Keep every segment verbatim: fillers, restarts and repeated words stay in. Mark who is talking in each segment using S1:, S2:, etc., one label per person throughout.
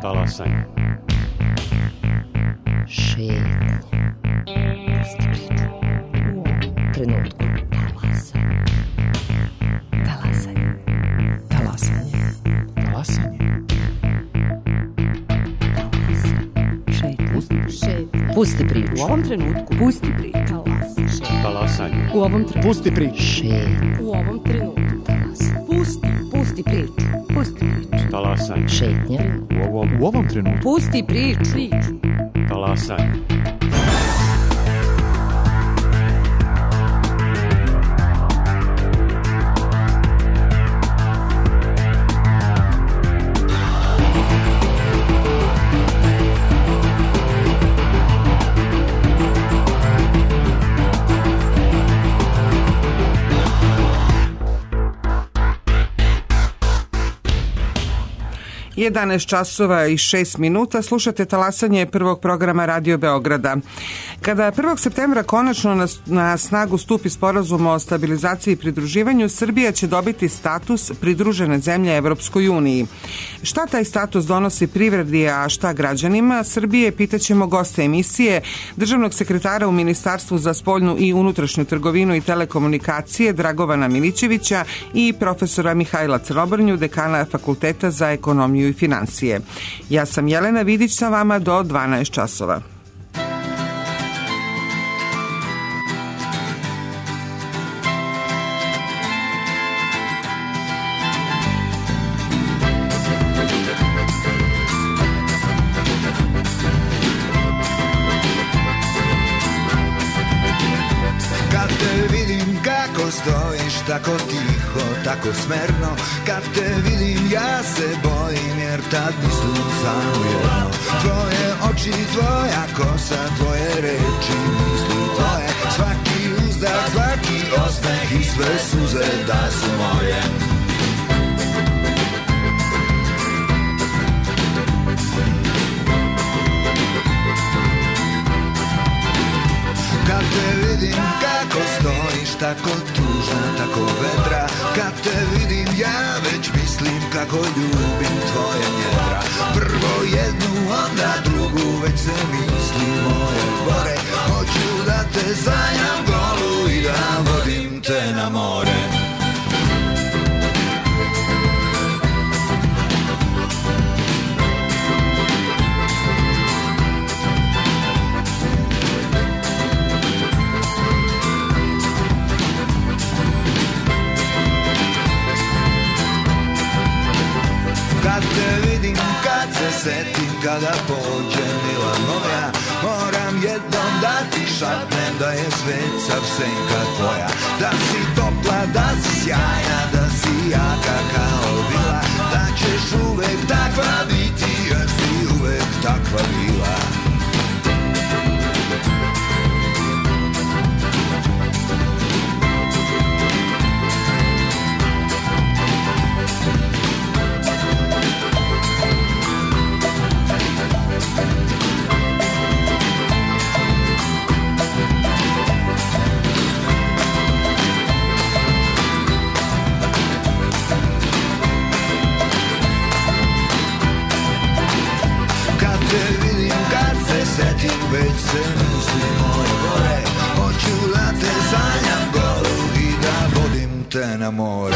S1: Talasanje.
S2: Šetnje. Pusti priču. U ovom trenutku. Talasanje. Talasanje. Talasanje.
S1: Talasanje.
S2: Šetnje. Pusti priču.
S3: U ovom trenutku. Pusti priču.
S1: Talasanje.
S3: U ovom trenutku.
S1: Pusti priču.
S2: Šetnje.
S3: U ovom trenutku. Pusti. Pusti priču. Pusti priču.
S1: Talasanje.
S2: Šetnje.
S1: U ovom, u ovom trenutku.
S3: Pusti priču. Priču.
S1: Talasanje.
S4: jedanaest časova i šest minuta, slušate Talasanje prvog programa Radio Beograda. Kada prvog septembra konačno na, na snagu stupi sporazum o stabilizaciji i pridruživanju, Srbija će dobiti status pridružene zemlje Evropskoj uniji. Šta taj status donosi privredi, a šta građanima Srbije, pitaćemo goste emisije, državnog sekretara u Ministarstvu za spoljnu i unutrašnju trgovinu i telekomunikacije Dragovana Milićevića i profesora Mihajla Crnobrnju, dekana Fakulteta za ekonomiju i financije. Ja sam Jelena Vidić sa vama do dvanaest časova.
S5: Kad te vidim kako stojiš tako tiho, tako smerno, kad te vidim ja se bojim jer tad mislim samo jedno. Tvoje oči, tvoja kosa, tvoje reči, misli tvoje, svaki uzdah, svaki osmeh i sve suze da su moje. Kad te vidim kako stojiš tako tužna, tako vedra, kad te vidim ja već mislim kako ljubim tvoje njedra. Prvo jednu, onda drugu, već se misli moje gore. Hoću da te sanjam golu i da vodim te na more. Kad te vidim, kad se setim, kada pođe mila moja, moram jednom da ti šapnem da je svet sav senka tvoja. Da si topla, da si sjajna, da si jaka kao vila, da ćeš uvek takva biti jer si uvek takva bila. Setim, već se misli moje gore. Hoću da te sanjam golu i da vodim te na more.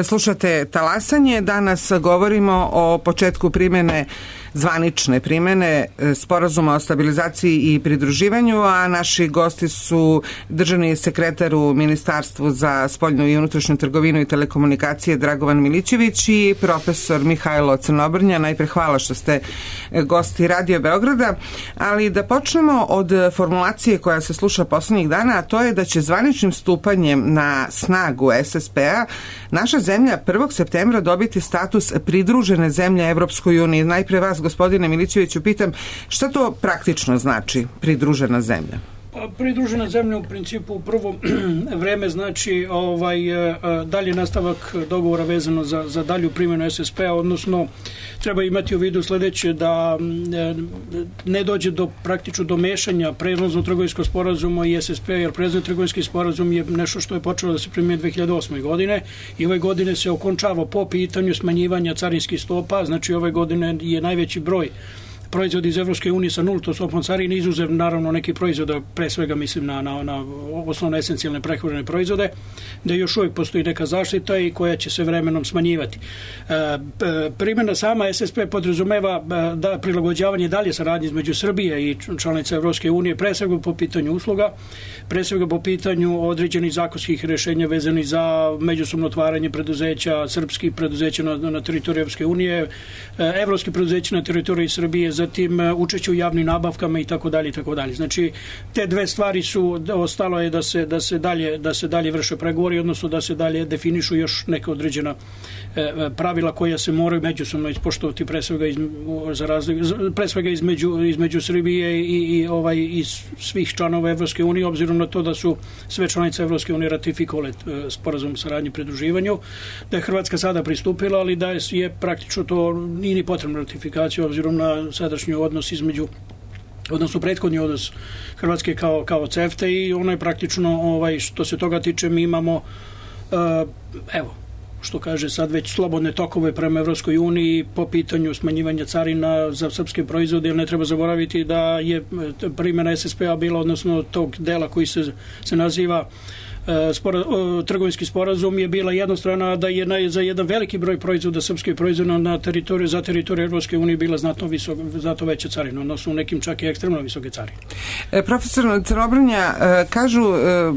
S4: Slušate Talasanje, danas govorimo o početku primjene, zvanične primjene sporazuma o stabilizaciji i pridruživanju, a naši gosti su državni sekretar u Ministarstvu za spoljnu i unutrašnju trgovinu i telekomunikacije Dragovan Milićević i profesor Mihajlo Crnobrnja. Najpre hvala što ste gosti Radio Beograda, ali da počnemo od formulacije koja se sluša poslednjih dana, a to je da će zvaničnim stupanjem na snagu es es pe-a naša zemlja prvog septembra dobiti status pridružene zemlje Evropskoj uniji. Najpre vas, gospodine Milićeviću, pitam šta to praktično znači pridružena zemlja?
S6: Pridružena zemlja u principu u prvo vreme znači ovaj dalje nastavak dogovora vezano za, za dalju primjenu es es pe-a, odnosno treba imati u vidu sledeće, da ne dođe do praktično do mešanja prelaznog trgovinskog sporazuma i es es pe-a, jer prelazni trgovinski sporazum je nešto što je počelo da se primjenjuje dve hiljade osme. godine i ove godine se okončava po pitanju smanjivanja carinskih stopa, znači ove godine je najveći broj proizvodi iz Evropske unije sa nultom stopom carine, izuzev naravno neki proizvoda, pre svega mislim na, na, na osnovne esencijalne prehrambene proizvode, da još uvijek postoji neka zaštita i koja će se vremenom smanjivati. E, primjena sama es es pe podrazumeva da prilagođavanje dalje saradnje između Srbije i članica Evropske unije, pre svega po pitanju usluga, pre svega po pitanju određenih zakonskih rešenja vezanih za međusobno otvaranje preduzeća, srpskih preduzeća na, na teritoriji Evropske unije, evropskih preduzeća na teritoriji Srbije, zatim učešće u javnim nabavkama i tako dalje i tako dalje. Znači te dve stvari su, ostalo je da se da se dalje da se dalje vrše pregovori, odnosno da se dalje definišu još neka određena e, pravila koja se moraju međusobno ispoštovati, pre svega iz, za razliku, pre svega između između Srbije i, i ovaj i svih članova Evropske unije, obzirom na to da su sve članice Evropske unije ratifikovale e, sporazum o saradnji i pridruživanju, da je Hrvatska sada pristupila, ali da je, je praktično to nije ni potrebna ratifikacija obzirom na sadašnji odnos između, odnosno prethodni odnos Hrvatske kao, kao CEFTA, i ono je praktično, ovaj, što se toga tiče, mi imamo uh, evo, što kaže sad već slobodne tokove prema Evropskoj uniji po pitanju smanjivanja carina za srpske proizvode, jer ne treba zaboraviti da je primjena es es pe-a bila, odnosno tog dela koji se, se naziva Spora, trgovinski sporazum, je bila jednostrana, da je na, za jedan veliki broj proizvoda, srpskih proizvoda na teritoriju, za teritoriju Evropske unije bila znatno, visok, znatno veća carina, odnosno u nekim čak i ekstremno visoke carine.
S4: E, profesor Crnobrnja, e, kažu e,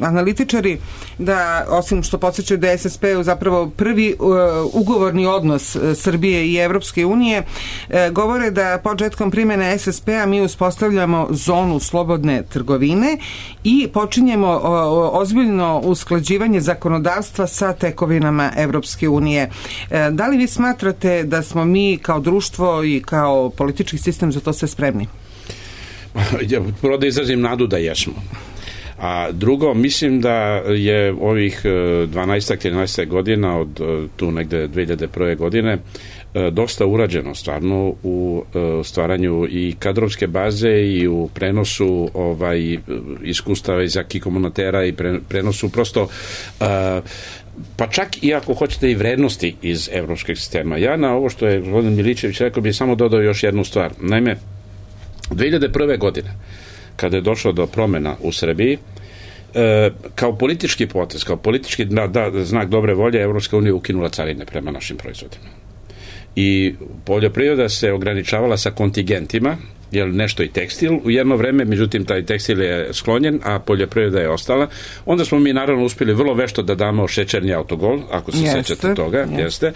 S4: analitičari da, osim što podsjećaju da je es es pe zapravo prvi uh, ugovorni odnos uh, Srbije i Evropske unije, uh, govore da početkom primjene es es pe-a mi uspostavljamo zonu slobodne trgovine i počinjemo uh, ozbiljno usklađivanje zakonodavstva sa tekovinama Evropske unije. Uh, da li vi smatrate da smo mi kao društvo i kao politički sistem za to sve spremni?
S7: Ja, prvo da izrazim nadu da jesmo. A drugo, mislim da je ovih dvanaest trinaest godina od tu negde dve hiljade prve. godine dosta urađeno stvarno u stvaranju i kadrovske baze i u prenosu ovaj iskustava iz acquis communautaire i prenosu prosto pa čak i ako hoćete i vrednosti iz evropskog sistema. Ja na ovo što je gospodin Milićević rekao bih samo dodao još jednu stvar. Naime, dve hiljade prve. godine kada je došlo do promena u Srbiji, e, kao politički potez, kao politički da, da, znak dobre volje, Evropska unija ukinula carine prema našim proizvodima. I poljoprivreda se ograničavala sa kontingentima, jer nešto i tekstil u jedno vreme, međutim taj tekstil je sklonjen, a poljoprivreda je ostala. Onda smo mi naravno uspjeli vrlo vešto da damo šećerni autogol, ako se jeste, sećate toga, jeste. jeste.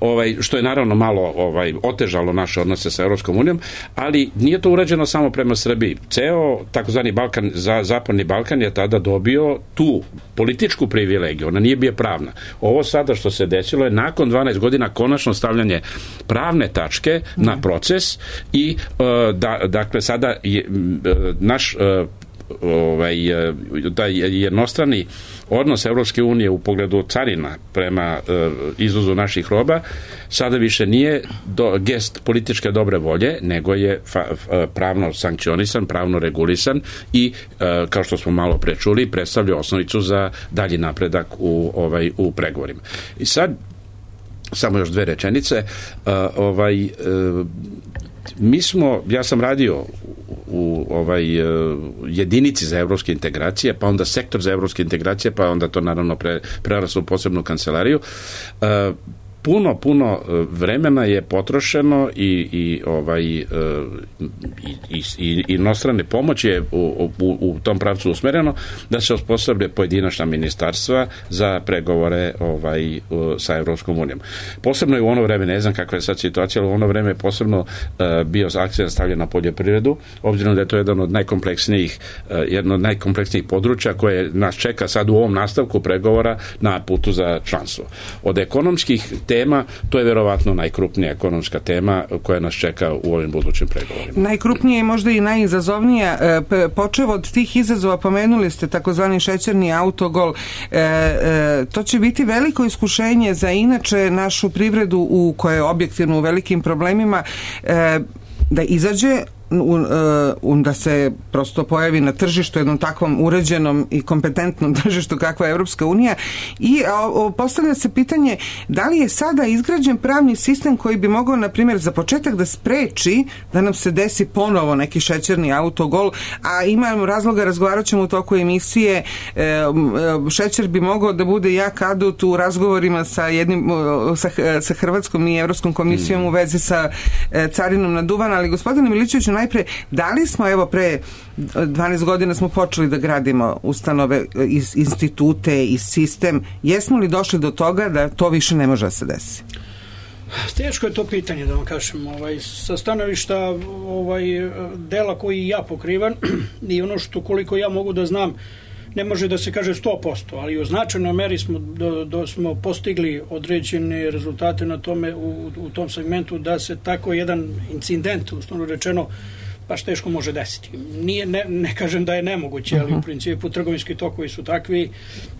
S7: Ovaj, što je naravno malo ovaj, otežalo naše odnose sa Evropskom unijom, ali nije to urađeno samo prema Srbiji. Ceo takozvani Balkan, za, Zapadni Balkan je tada dobio tu političku privilegiju, ona nije bio pravna. Ovo sada što se desilo je nakon dvanaest godina konačno stavljanje pravne tačke mm. na proces i uh, da dakle sada je naš ovaj taj jednostrani odnos Evropske unije u pogledu carina prema izvozu naših roba sada više nije do, gest političke dobre volje, nego je fa, pravno sankcionisan, pravno regulisan i kao što smo malo pre čuli, predstavlja osnovicu za dalji napredak u ovaj u pregovorima. I sad samo još dve rečenice, ovaj mi smo, ja sam radio u ovaj jedinici za evropske integracije, pa onda sektor za evropske integracije, pa onda to naravno pre, preraslo u posebnu kancelariju. Puno, puno vremena je potrošeno i, i ovaj i, i, i inostrane pomoći je u, u, u tom pravcu usmereno da se osposobe pojedinačna ministarstva za pregovore ovaj sa Evropskom unijom. Posebno je u ono vreme, ne znam kakva je sad situacija, ali u ono vreme je posebno uh, bio akcent stavljen na poljoprivredu, obzirom da je to jedan od najkompleksnijih uh, jedno od najkompleksnijih područja koje nas čeka sad u ovom nastavku pregovora na putu za članstvo. Od ekonomskih tema, to je verovatno najkrupnija ekonomska tema koja nas čeka u ovim budućim pregovorima.
S4: Najkrupnija je možda i najizazovnija. E, počev od tih izazova, pomenuli ste takozvani šećerni autogol. E, e, to će biti veliko iskušenje za inače našu privredu u kojoj je objektivno u velikim problemima, e, da izađe U, uh, da se prosto pojavi na tržištu, jednom takvom uređenom i kompetentnom tržištu kakva je Evropska unija, i a, postavlja se pitanje da li je sada izgrađen pravni sistem koji bi mogao, na primjer, za početak da spreči da nam se desi ponovo neki šećerni autogol, a imamo razloga, razgovarat ćemo u toku emisije, e, šećer bi mogao da bude jak adut u razgovorima sa jednim sa, sa Hrvatskom i Evropskom komisijom mm. u vezi sa e, carinom na duvan, ali gospodine Milićeviću, najpre, da li smo, evo, pre dvanaest godina smo počeli da gradimo ustanove, institute i sistem, jesmo li došli do toga da to više ne može da se desi?
S6: Teško je to pitanje, da vam kažem. Ovaj, sa stanovišta ovaj, dela koji ja pokrivam i ono što koliko ja mogu da znam, ne može da se kaže sto posto, ali u značajnoj meri smo, do, do, smo postigli određene rezultate na tome u, u tom segmentu da se tako jedan incident, uslovno rečeno, baš teško može desiti. Nije, ne, ne kažem da je nemoguće, ali u principu trgovinski tokovi su takvi,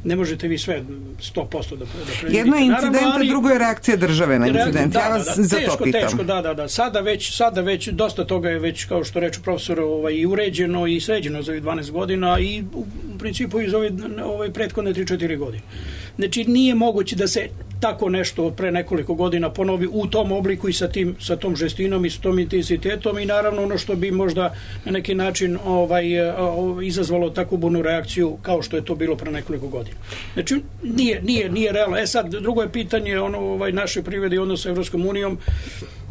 S6: ne možete vi sve sto posto da, da predvidite.
S4: Jedno je incident, a drugo je reakcija države na incident.
S6: Da,
S4: ja vas
S6: da, da,
S4: za
S6: teško,
S4: to pitam.
S6: Teško, da, da, da. Sada već, sada već, dosta toga je već, kao što reče profesor, ovaj, i uređeno i sređeno za ovih dvanaest godina i u principu iz ove ovaj, prethodne tri četiri godine. Znači, nije moguće da se tako nešto pre nekoliko godina ponovi u tom obliku i sa, tim, sa tom žestinom i sa tom intenzitetom i naravno ono što bi možda na neki način ovaj, izazvalo takvu burnu reakciju kao što je to bilo pre nekoliko godina. Znači, nije, nije, nije realno. E sad, drugo je pitanje ono, ovaj, naše privrede i odnos sa Evropskom unijom.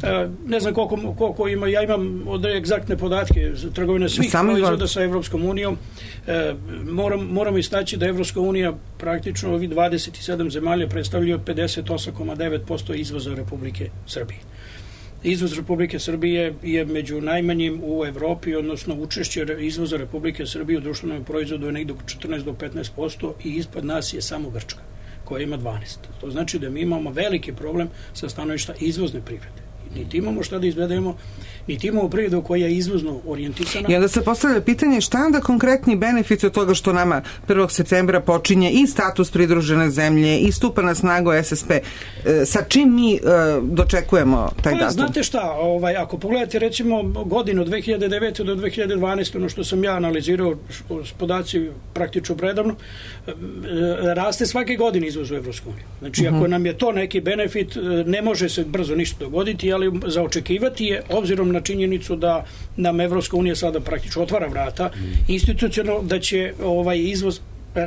S6: E, ne znam koliko, koliko ima, ja imam od egzaktne podatke trgovine svih proizvoda sa Evropskom unijom. E, moram, moramo istaći da Evropska unija praktično ovi dvadeset sedam zemalja predstavljaju pedeset osam zarez devet posto izvoza Republike Srbije. Izvoz Republike Srbije je među najmanjim u Evropi, odnosno učešće izvoza Republike Srbije u društvenom proizvodu je negdje četrnaest do petnaest posto i ispod nas je samo Grčka, koja ima dvanaest. To znači da mi imamo veliki problem sa stanovišta izvozne privrede. Niti imamo šta da izvedemo, niti imamo privredu koja je izvozno orijentisana. I
S4: onda se postavlja pitanje šta onda konkretni benefit od toga što nama prvog septembra počinje i status pridružene zemlje i stupa na snagu S S P. E, sa čim mi e, dočekujemo taj datum?
S6: Znate šta, ovaj, ako pogledate recimo godinu od dve hiljade devete do dve hiljade dvanaeste, ono što sam ja analizirao s podaci praktično predavno, e, raste svake godine izvoz u Evropsku uniju. Znači, uh-huh. ako nam je to neki benefit, ne može se brzo ništa dogoditi, ali za očekivati je, obzirom na činjenicu da nam Evropska unija sada praktično otvara vrata, institucionalno da će ovaj izvoz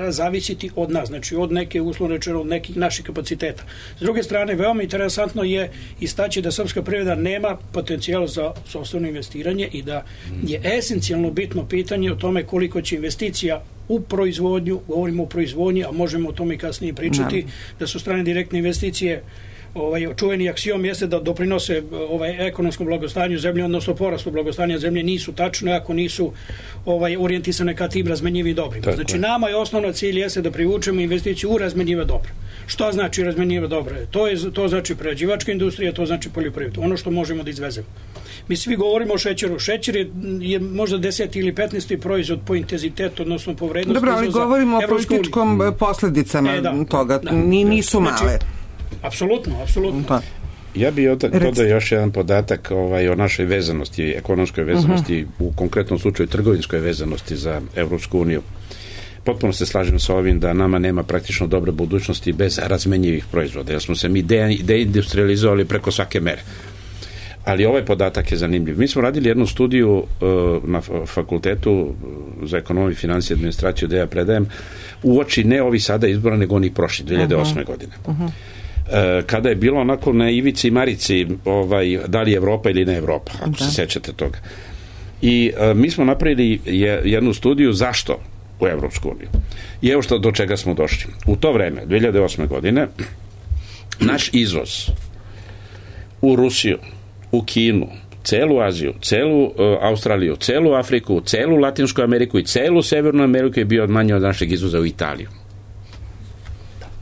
S6: zavisiti od nas, znači od neke, uslovno rečeno, od nekih naših kapaciteta. S druge strane, veoma interesantno je istaći da srpska privreda nema potencijal za sopstveno investiranje i da je esencijalno bitno pitanje o tome koliko će investicija u proizvodnju, govorimo o proizvodnji, a možemo o tome i kasnije pričati, no. da su strane direktne investicije ovaj čuveni aksiom jeste da doprinose ovaj ekonomskom blagostanju zemlje, odnosno porastu blagostanja zemlje, nisu tačne ako nisu ovaj orijentisane ka tim razmenjivim dobrima. Znači, nama je osnovna cilj jeste da privučemo investiciju u razmenjiva dobra. Što znači razmenjiva dobra? To je to znači prerađivačka industrija, to znači poljoprivreda, ono što možemo da izvezemo. Mi svi govorimo o šećeru. Šećer je, je možda deseti ili petnaesti proizvod po intenzitetu, odnosno po vrednosti.
S4: Dobro, ali govorimo o političkom posledicama e, da, toga. Da, Ni, nisu male. Znači,
S6: apsolutno, apsolutno. Da.
S7: Ja bih dodao još jedan podatak ovaj, o našoj vezanosti, ekonomskoj vezanosti, uh-huh. u konkretnom slučaju trgovinskoj vezanosti za Evropsku uniju. Potpuno se slažem sa ovim da nama nema praktično dobre budućnosti bez razmenjivih proizvoda, jer smo se mi de, deindustrializovali preko svake mere. Ali ovaj podatak je zanimljiv. Mi smo radili jednu studiju uh, na fakultetu za ekonomiju, financije i administraciju gde ja predajem uoči ne ovi sada izbora, nego oni prošli, dve hiljade osme uh-huh. godine. Uh-huh. Kada je bilo onako na ivici Marici ovaj, da li Evropa ili ne Evropa, ako da. se sećate toga. I a, mi smo napravili je, jednu studiju zašto u Evropsku uniju. I evo što do čega smo došli. U to vreme, dve hiljade osme godine, naš izvoz u Rusiju, u Kinu, celu Aziju, celu uh, Australiju, celu Afriku, celu Latinsku Ameriku i celu Severnu Ameriku je bio manje od našeg izvoza u Italiju.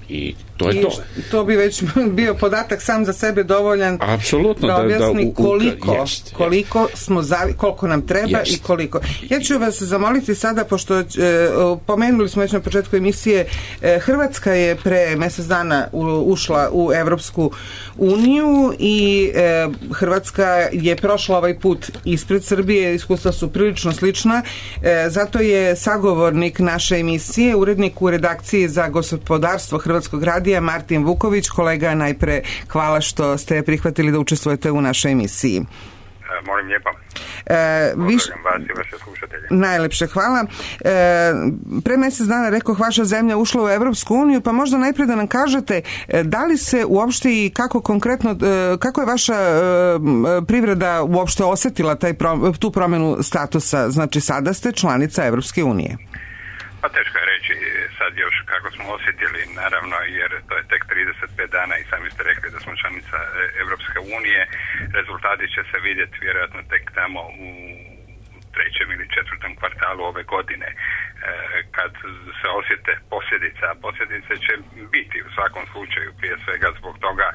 S7: I To je
S4: I
S7: to.
S4: to bi već bio podatak sam za sebe dovoljan
S7: Apsolutno,
S4: da objasni
S7: da, da,
S4: koliko,
S7: jest,
S4: koliko jest. smo zavi, koliko nam treba jest. i koliko. Ja ću vas zamoliti sada, pošto e, pomenuli smo već na početku emisije, e, Hrvatska je pre mjesec dana u, ušla u Evropsku uniju i e, Hrvatska je prošla ovaj put ispred Srbije, iskustva su prilično slična, e, zato je sagovornik naše emisije, urednik u redakciji za gospodarstvo Hrvatskog radija Martin Vuković. Kolega, najpre hvala što ste prihvatili da učestvujete u našoj emisiji.
S8: E, molim lijepo.
S4: E, viš...
S8: vas i vaše slušatelje.
S4: Najlepše hvala. E, pre mjesec dana, rekao, vaša zemlja ušla u Evropsku uniju, pa možda najpre da nam kažete da li se uopšte i kako konkretno, kako je vaša privreda uopšte osjetila taj, tu promjenu statusa? Znači, sada ste članica Evropske unije.
S8: Pa teško je reći sad još kako smo osjetili, naravno, jer to je tek trideset pet dana i sami ste rekli da smo članica Evropske unije. Rezultati će se vidjeti vjerojatno tek tamo u trećem ili četvrtom kvartalu ove godine, kad se osjete posljedice, a posljedice će biti u svakom slučaju prije svega zbog toga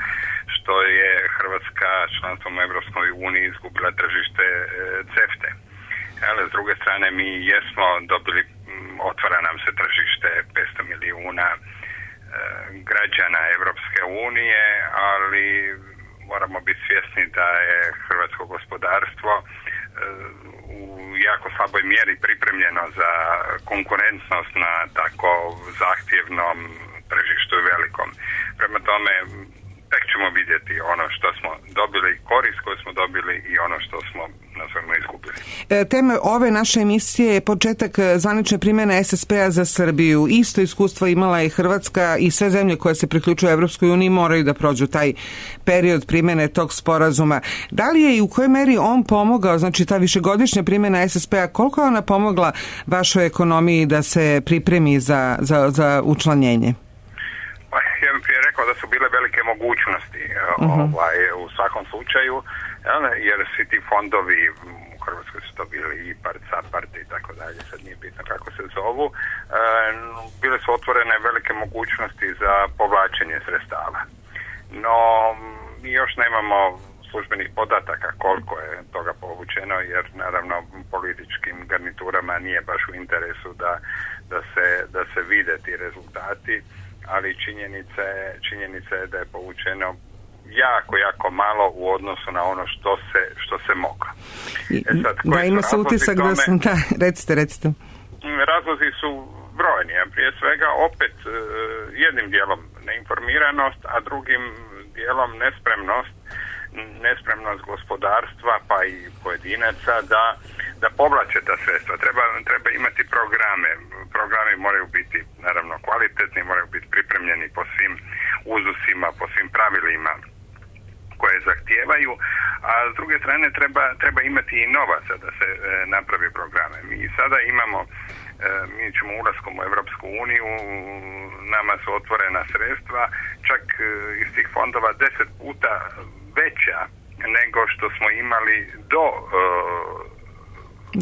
S8: što je Hrvatska članstvom u Evropskoj uniji izgubila tržište CEFTA. Ali s druge strane mi jesmo dobili, otvara nam se tržište petsto milijuna e, građana Evropske unije, ali moramo biti svjesni da je hrvatsko gospodarstvo e, u jako slaboj mjeri pripremljeno za konkurentnost na tako zahtjevnom tržištu velikom. Prema tome, tek ćemo vidjeti ono što smo dobili, korist koju smo dobili i ono što smo nazvano izgubili.
S4: E, tema ove naše emisije je početak zvanične primjene S S P-a za Srbiju. Isto iskustvo imala i Hrvatska i sve zemlje koje se priključuju Evropskoj uniji moraju da prođu taj period primjene tog sporazuma. Da li je i u kojoj meri on pomogao, znači ta višegodišnja primjena S S P-a, koliko je ona pomogla vašoj ekonomiji da se pripremi za, za, za učlanjenje?
S8: Ja bih prije rekao da su bile velike mogućnosti uh-huh. ovaj, u svakom slučaju, jer svi ti fondovi u Hrvatskoj su to bili I P A R D, SAPARD i tako dalje, sad nije bitno kako se zovu, bile su otvorene velike mogućnosti za povlačenje sredstava. No, mi još nemamo službenih podataka koliko je toga povučeno, jer naravno političkim garniturama nije baš u interesu da, da, se, da se vide ti rezultati, ali činjenica je, činjenica je da je povučeno jako, jako malo u odnosu na ono što se, što se moglo.
S4: E sad, da, ima se utisak da sam, da, recite, recite.
S8: Razlozi su brojni, a prije svega opet jednim dijelom neinformiranost, a drugim dijelom nespremnost, nespremnost gospodarstva pa i pojedinaca da da povlače ta sredstva. Treba, treba imati programe. Programi moraju biti naravno kvalitetni, moraju biti pripremljeni po svim uzusima, po svim pravilima koje zahtijevaju, a s druge strane treba, treba imati i novaca da se e, napravi programe. Mi sada imamo, e, mi ćemo ulaskom u Evropsku uniju, nama su otvorena sredstva, čak e, iz tih fondova deset puta veća nego što smo imali do e,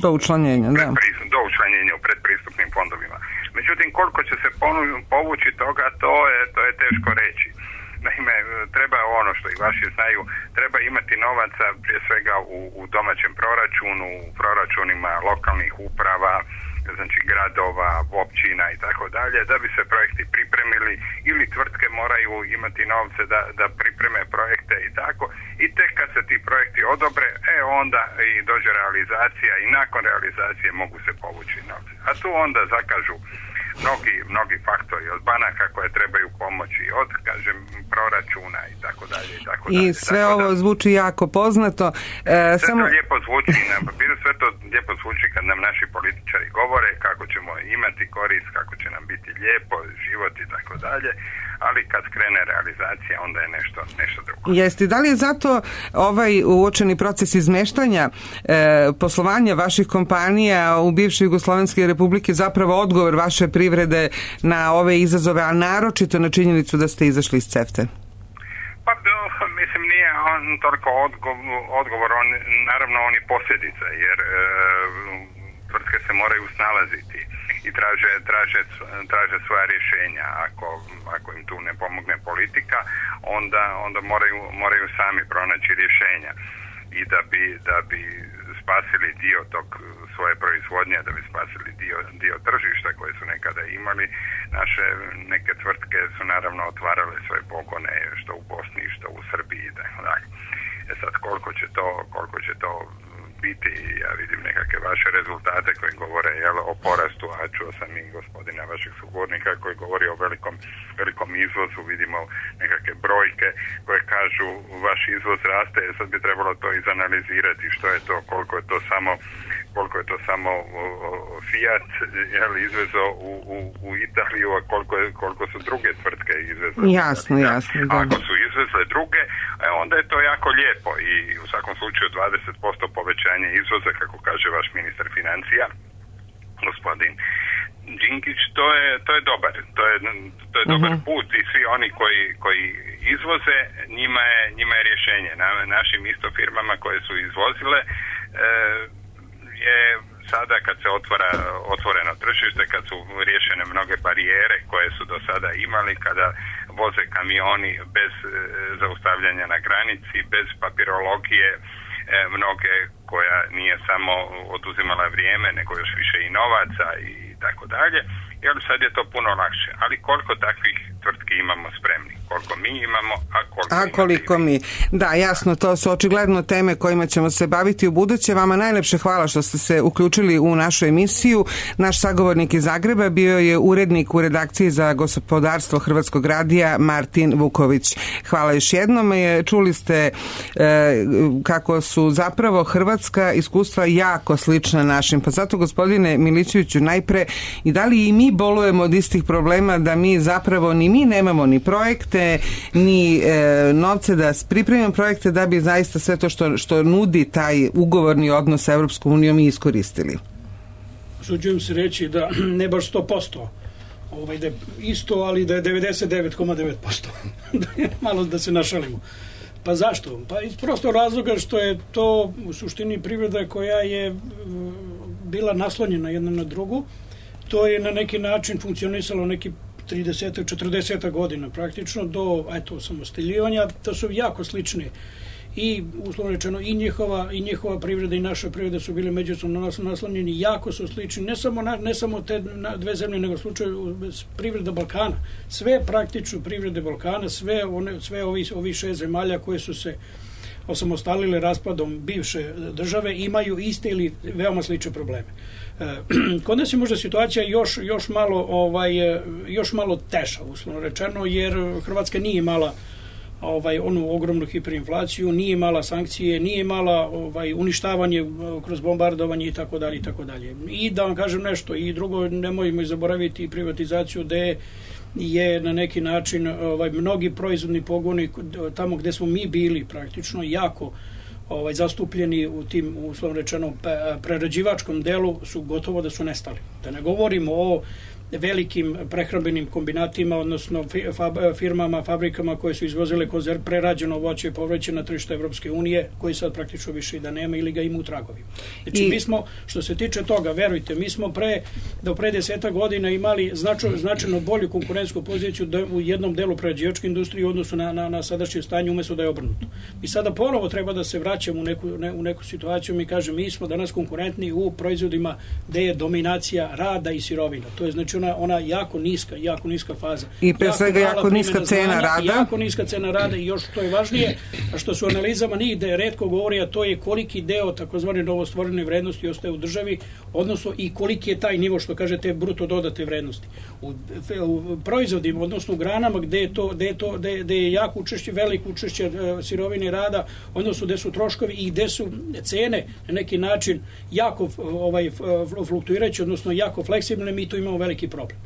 S4: do učlanjenja, da.
S8: do učlanjenja u predpristupnim fondovima. Međutim, koliko će se povući toga, to je, to je teško reći. Naime, treba ono što i vaši znaju, treba imati novaca prije svega u, u domaćem proračunu, u proračunima lokalnih uprava, znači gradova, općina i tako dalje, da bi se projekti pripremili, ili tvrtke moraju imati novce da, da pripreme projekte i tako, i tek kad se ti projekti odobre, e onda i dođe realizacija i nakon realizacije mogu se povući novce. A tu onda zakažu mnogi, mnogi faktori od banaka koje trebaju pomoći, od, kažem, proračuna i tako dalje i tako dalje.
S4: I sve tako ovo da, zvuči jako poznato. E,
S8: sve
S4: samo...
S8: to lijepo zvuči na papiru, sve to lijepo zvuči kad nam naši političari govore kako ćemo imati korist, kako će nam biti lijepo, život i tako dalje, ali kad krene realizacija, onda je nešto, nešto drugo.
S4: Jeste, da li je zato ovaj uočeni proces izmeštanja e, poslovanja vaših kompanija u bivšoj Jugoslovenske republike zapravo odgovor vaše privrede na ove izazove, a naročito na činjenicu da ste izašli iz CEFTA?
S8: Pa, mislim, nije on toliko odgovor, odgovor on, naravno on je posljedica, jer e, tvrtke se moraju snalaziti. i traže, traže, traže svoja rješenja. Ako, ako im tu ne pomogne politika, onda, onda moraju, moraju sami pronaći rješenja. I da bi, da bi spasili dio tog svoje proizvodnje, da bi spasili dio, dio tržišta koje su nekada imali, naše neke tvrtke su naravno otvarale svoje pogone što u Bosni, što u Srbiji i tako dalje. E sad, koliko će to, koliko će to biti, ja vidim nekakve vaše rezultate koji govore jel, o porastu, a čuo sam i gospodina vašeg sugovornika koji govori o velikom, velikom izvozu, vidimo nekakve brojke koje kažu vaš izvoz raste, sad bi trebalo to izanalizirati što je to, koliko je to samo koliko je to samo Fiat jel, izvezo u, u, u Italiju, a koliko, je, koliko su druge tvrtke izvezle.
S4: Jasno, jasno. Da.
S8: Ako su izvezle druge, onda je to jako lijepo i u svakom slučaju dvadeset posto povećanje izvoza, kako kaže vaš ministar financija, gospodin Đinkić, to je, to je dobar, to je, to je dobar uh-huh. put i svi oni koji, koji izvoze, njima je, njima je rješenje. Na, našim isto firmama koje su izvozile, e, je sada kad se otvara otvoreno tržište, kad su riješene mnoge barijere koje su do sada imali, kada voze kamioni bez e, zaustavljanja na granici, bez papirologije, e, mnoge koja nije samo oduzimala vrijeme, nego još više i novaca i tako dalje. Jer sad je to puno lakše. Ali koliko takvih tvrtki imamo spremni? Koliko mi imamo, a koliko,
S4: a koliko mi. Da, jasno, to su očigledno teme kojima ćemo se baviti u buduće. Vama najlepše hvala što ste se uključili u našu emisiju. Naš sagovornik iz Zagreba bio je urednik u redakciji za gospodarstvo Hrvatskog radija Martin Vuković. Hvala još jednom. Čuli ste e, kako su zapravo hrvatska iskustva jako slična našim. Pa zato, gospodine Milićeviću, najpre i da li i mi bolujemo od istih problema, da mi zapravo ni mi nemamo ni projekte, ni e, novce da pripremimo projekte da bi zaista sve to što, što nudi taj ugovorni odnos sa Evropskom unijom i iskoristili.
S6: Suđujem se reći da ne baš sto posto ovaj, da je isto, ali da je devedeset devet zarez devet posto. Malo da se našalimo. Pa zašto? Pa iz prostog razloga što je to u suštini privreda koja je bila naslonjena jedna na drugu. To je na neki način funkcionisalo neki trideset četrdeset godina praktično do eto osamostaljivanja. To su jako slični i uslovno rečeno i njihova i njihova privreda i naša privreda su bile međusobno naslonjeni, jako su slični, ne samo na, ne samo te dve zemlje, nego slučaju privreda Balkana. Sve praktično privrede Balkana, sve one sve ovi ovi šest zemalja koje su se osamostalile raspadom bivše države imaju iste ili veoma slične probleme. Kod nas je možda situacija još, još, malo, ovaj, još malo teša, uslovno rečeno, jer Hrvatska nije imala ovaj, onu ogromnu hiperinflaciju, nije imala sankcije, nije imala ovaj, uništavanje kroz bombardovanje i tako dalje i tako dalje. I da vam kažem nešto, i drugo, nemojmo zaboraviti privatizaciju gde je na neki način ovaj, mnogi proizvodni pogoni tamo gde smo mi bili praktično jako ovaj, zastupljeni u tim, uslovno rečeno, prerađivačkom delu su gotovo da su nestali. Da ne govorimo o velikim prehrambenim kombinatima, odnosno firmama, fabrikama koje su izvozile konzerv, prerađeno voće i povrće na tržište Evropske unije, koji sad praktično više i da nema ili ga ima u tragovima. Znači, I... mi smo, što se tiče toga, verujte, mi smo pre, do pre deseta godina imali značajno, značajno bolju konkurentsku poziciju da, u jednom delu prerađivačke industrije u odnosu na, na, na sadašnje stanje, umjesto da je obrnuto. I sada ponovo treba da se vraćamo u neku, ne, u neku situaciju, mi kažem, mi smo danas konkurentni u proizvodima gde je dominacija rada i sirovina. To je znači Ona, ona jako niska, jako niska faza.
S4: I pre svega jako, jako niska cena znanja, rada.
S6: Jako niska cena rada i još što je važnije, a što su analizama nigde retko govori, a to je koliki deo takozvane novostvorene vrednosti ostaje u državi, odnosno i koliki je taj nivo, što kažete, bruto dodate vrednosti. U, u proizvodima, odnosno u granama gde je to, gde je to, gde, gde je jako učešće, veliko učešće sirovine rada, odnosno gde su troškovi i gde su cene na neki način jako ovaj, fluktuirajuće, odnosno jako fleksibilne, mi tu imamo veliki problem.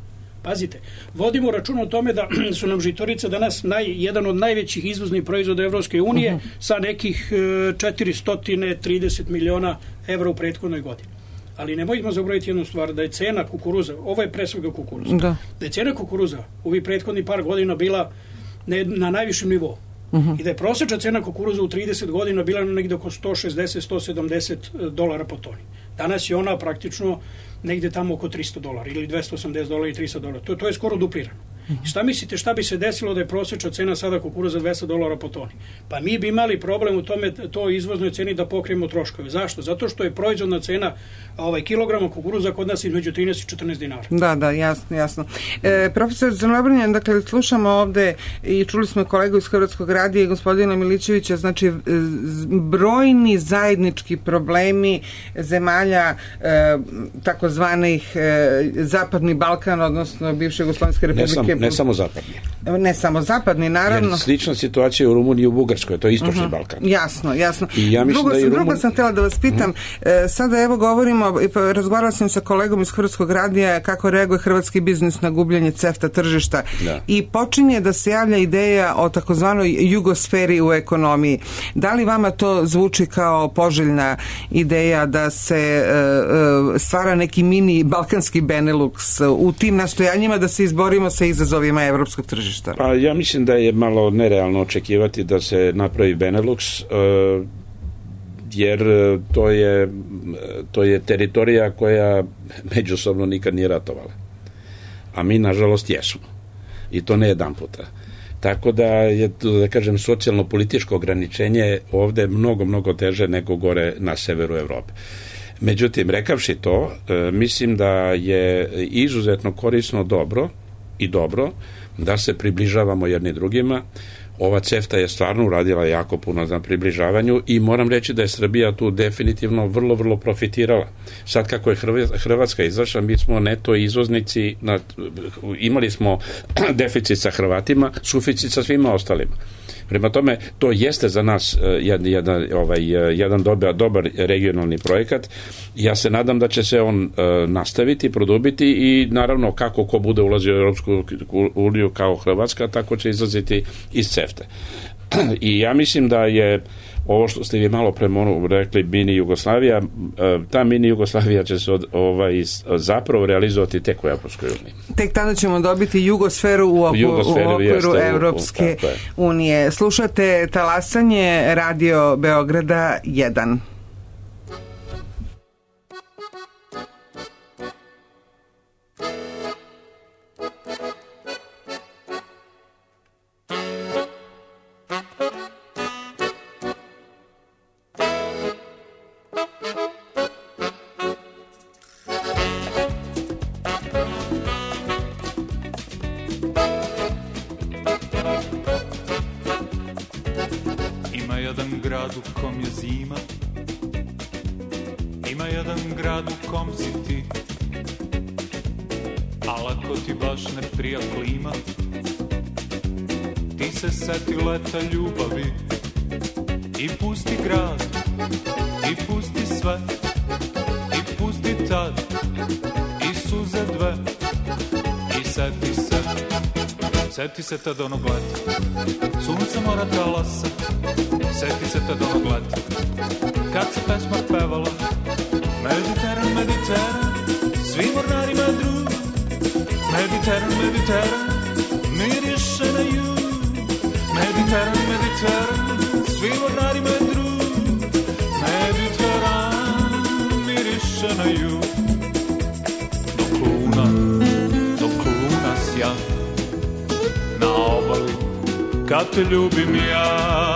S6: Pazite, vodimo račun o tome da su nam žitarice danas naj, jedan od najvećih izvoznih proizvoda Evropske unije uh-huh. sa nekih četiristo trideset miliona evra u prethodnoj godini. Ali nemojmo zaboraviti jednu stvar, da je cena kukuruza, ovo je pre svega kukuruza, da, da je cena kukuruza u ovih prethodnih par godina bila ne, na najvišem nivou. Uh-huh. I da je prosječna cena kukuruza u trideset godina bila negdje oko sto šezdeset do sto sedamdeset dolara po toni. Danas je ona praktično negde tamo oko tristo dolara ili dvesta osamdeset dolara i tristo dolara. To, to je skoro duplirano. Šta mislite, šta bi se desilo da je prosječna cena sada kukuruza dvesta dolara po toni? Pa mi bi imali problem u tome, to izvoznoj ceni da pokrijemo troškove. Zašto? Zato što je proizvodna cena ovaj, kilograma kukuruza kod nas između trinaest i četrnaest dinara.
S4: Da, da, jasno, jasno. E, profesor Crnobrnjan, dakle, slušamo ovde i čuli smo kolegu iz Hrvatskog radija i gospodina Milićevića, znači brojni zajednički problemi zemalja e, takozvanih e, Zapadni Balkan, odnosno bivše Jugoslovenske republike.
S7: Ne samo zapadni.
S4: Ne samo zapadni, naravno.
S7: Jer slična situacija u Rumuniji i u Bugarskoj, to je istočni uh-huh. Balkan.
S4: Jasno, jasno.
S7: I ja
S4: drugo,
S7: da i
S4: drugo
S7: Rumun...
S4: sam htjela da vas pitam, uh-huh. sada evo govorimo, razgovarala sam sa kolegom iz Hrvatskog radija kako reaguje hrvatski biznis na gubljenje CEFTA tržišta
S7: da.
S4: I počinje da se javlja ideja o takozvanoj jugosferi u ekonomiji. Da li vama to zvuči kao poželjna ideja da se uh, stvara neki mini balkanski Benelux u tim nastojanjima da se izborimo sa izazovima evropskog tržišta?
S7: Pa ja mislim da je malo nerealno očekivati da se napravi Benelux, uh, jer to je, to je teritorija koja međusobno nikad nije ratovala. A mi, nažalost, jesmo. I to ne jedan puta. Tako da je, da kažem, socijalno-političko ograničenje ovde mnogo, mnogo teže nego gore na severu Evrope. Međutim, rekavši to, uh, mislim da je izuzetno korisno dobro i dobro da se približavamo jedni drugima. Ova CEFTA je stvarno uradila jako puno na približavanju i moram reći da je Srbija tu definitivno vrlo, vrlo profitirala. Sad kako je Hrvatska izašla, mi smo neto izvoznici, na, imali smo deficit sa Hrvatima, suficit sa svima ostalima. Prema tome, to jeste za nas jedan, jedan, ovaj, jedan dobar, dobar regionalni projekat. Ja se nadam da će se on uh, nastaviti, produbiti i naravno kako ko bude ulazio u Europsku uniju kao Hrvatska, tako će izlaziti iz CEFTA. I ja mislim da je ovo što ste vi malo pre rekli, mini Jugoslavija, ta mini Jugoslavija će se od, ovaj, zapravo realizovati tek u Evropskoj uniji.
S4: Tek tada ćemo dobiti jugosferu u, oku,
S7: Jugosferu,
S4: u okviru
S7: jeste,
S4: Evropske u, unije. Slušate Talasanje, Radio Beograda jedan.
S9: Ljubavi i pusti grad i pusti sve i pusti tad i suze dve i seti se seti se tad onog leta sunce mora talasa seti se tad onog leta kad se pesma pevala Mediteran, Mediteran svi mornarima drug Mediteran, Mediteran miriše na jug Mediteran, Mediteran, svi mornarima drug Mediteran miriše na jug dok luna, dok luna sja na obali kad te ljubim ja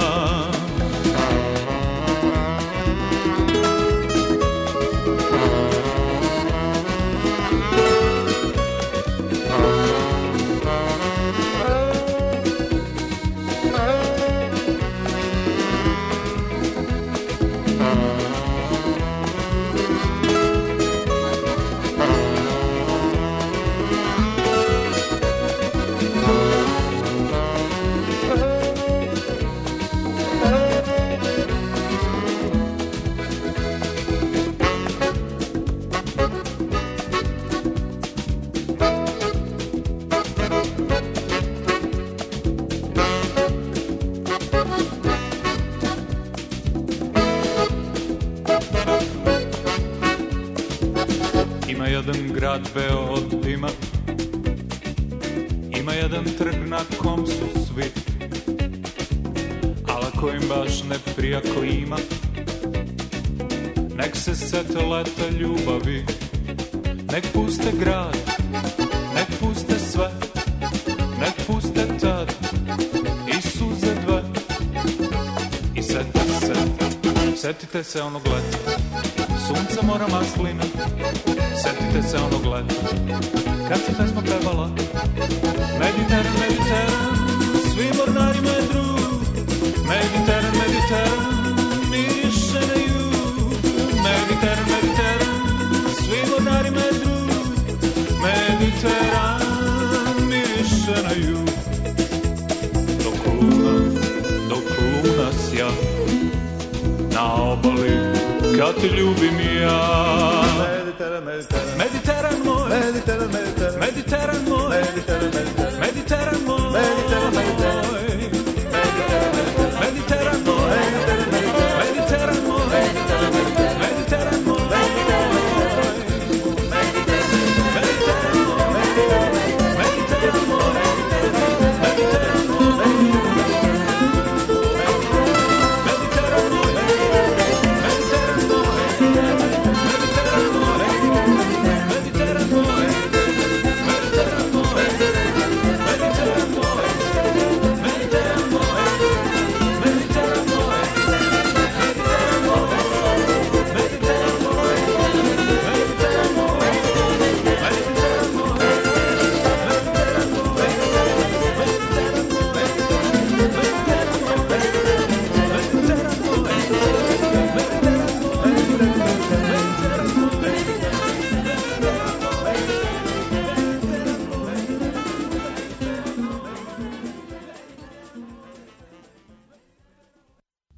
S9: Beo od dima ima jedan trg na kom su svi al ako im baš ne prija klima nek se sete leta ljubavi, nek puste grad, nek puste sve, nek puste tad i suze dve. I setite se, setite se onog leta, sunce mora maslina. Setite se onog leta, kad se pesma pevala, Mediteran, Mediteran, svi mornarima je drug. Mediteran, Mediteran, miriše na jug. Mediteran, Mediteran, svi mornarima je drug. Mediteran, miriše na jug. Dok luna, dok luna sja na obali, kad te ljubim ja. Mediteran, Mediteran, Mediteran moj, Mediteran, Mediteran, Mediteran moj, Mediteran, Mediteran, Mediteran moj, Mediteran, Mediteran, Mediteran moj, Mediteran moj, Mediteran moj,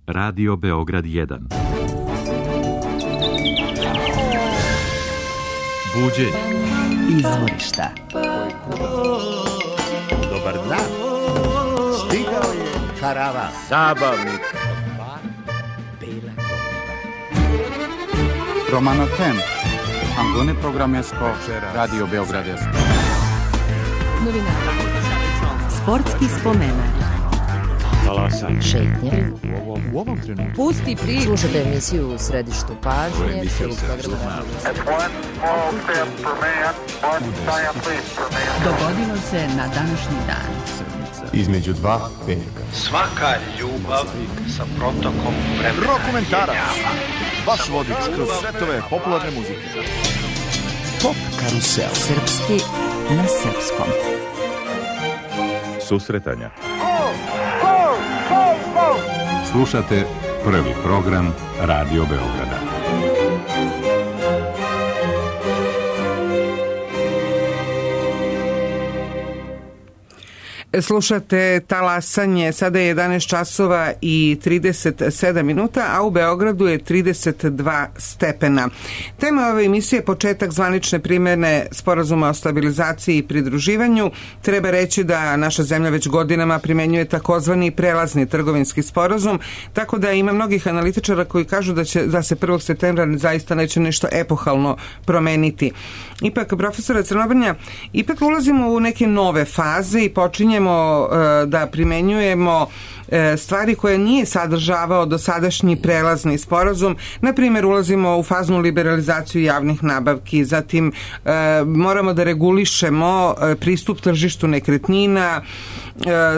S1: Radio Beograd jedan. Buđenje.
S2: Izvorišta.
S10: Dobar dan. Stigao je karavan. Zabavnik.
S11: Romano Tem. Angone programesko. Radio Beograd jedan.
S2: Novinara. Sportski spomenak.
S1: Talasanje.
S2: Šetnje.
S1: U ovom, u ovom trenutku.
S2: Pusti priču. Slušajte emisiju u središtu pažnje.
S3: Dogodilo se na današnji dan.
S11: Između dva veka.
S10: Svaka ljubav sa protokom vremena.
S11: Rokomentarac. Vaš vodič kroz svetove popularne muzike. Pop karusel.
S2: Srpski na srpskom.
S12: Susretanja. Slušate prvi program Radio Beograda.
S4: Slušate Talasanje, sada je jedanaest časova i trideset sedam minuta, a u Beogradu je trideset dva stepena. Tema ove emisije je početak zvanične primjene Sporazuma o stabilizaciji i pridruživanju. Treba reći da naša zemlja već godinama primenjuje takozvani prelazni trgovinski sporazum, tako da ima mnogih analitičara koji kažu da će da se prvog septembra zaista neće nešto epohalno promeniti. Ipak, profesora Crnobrnja, ipak ulazimo u neke nove faze i počinjemo da primenjujemo stvari koje nije sadržavao dosadašnji prelazni sporazum. Na primjer, ulazimo u faznu liberalizaciju javnih nabavki, zatim moramo da regulišemo pristup tržištu nekretnina,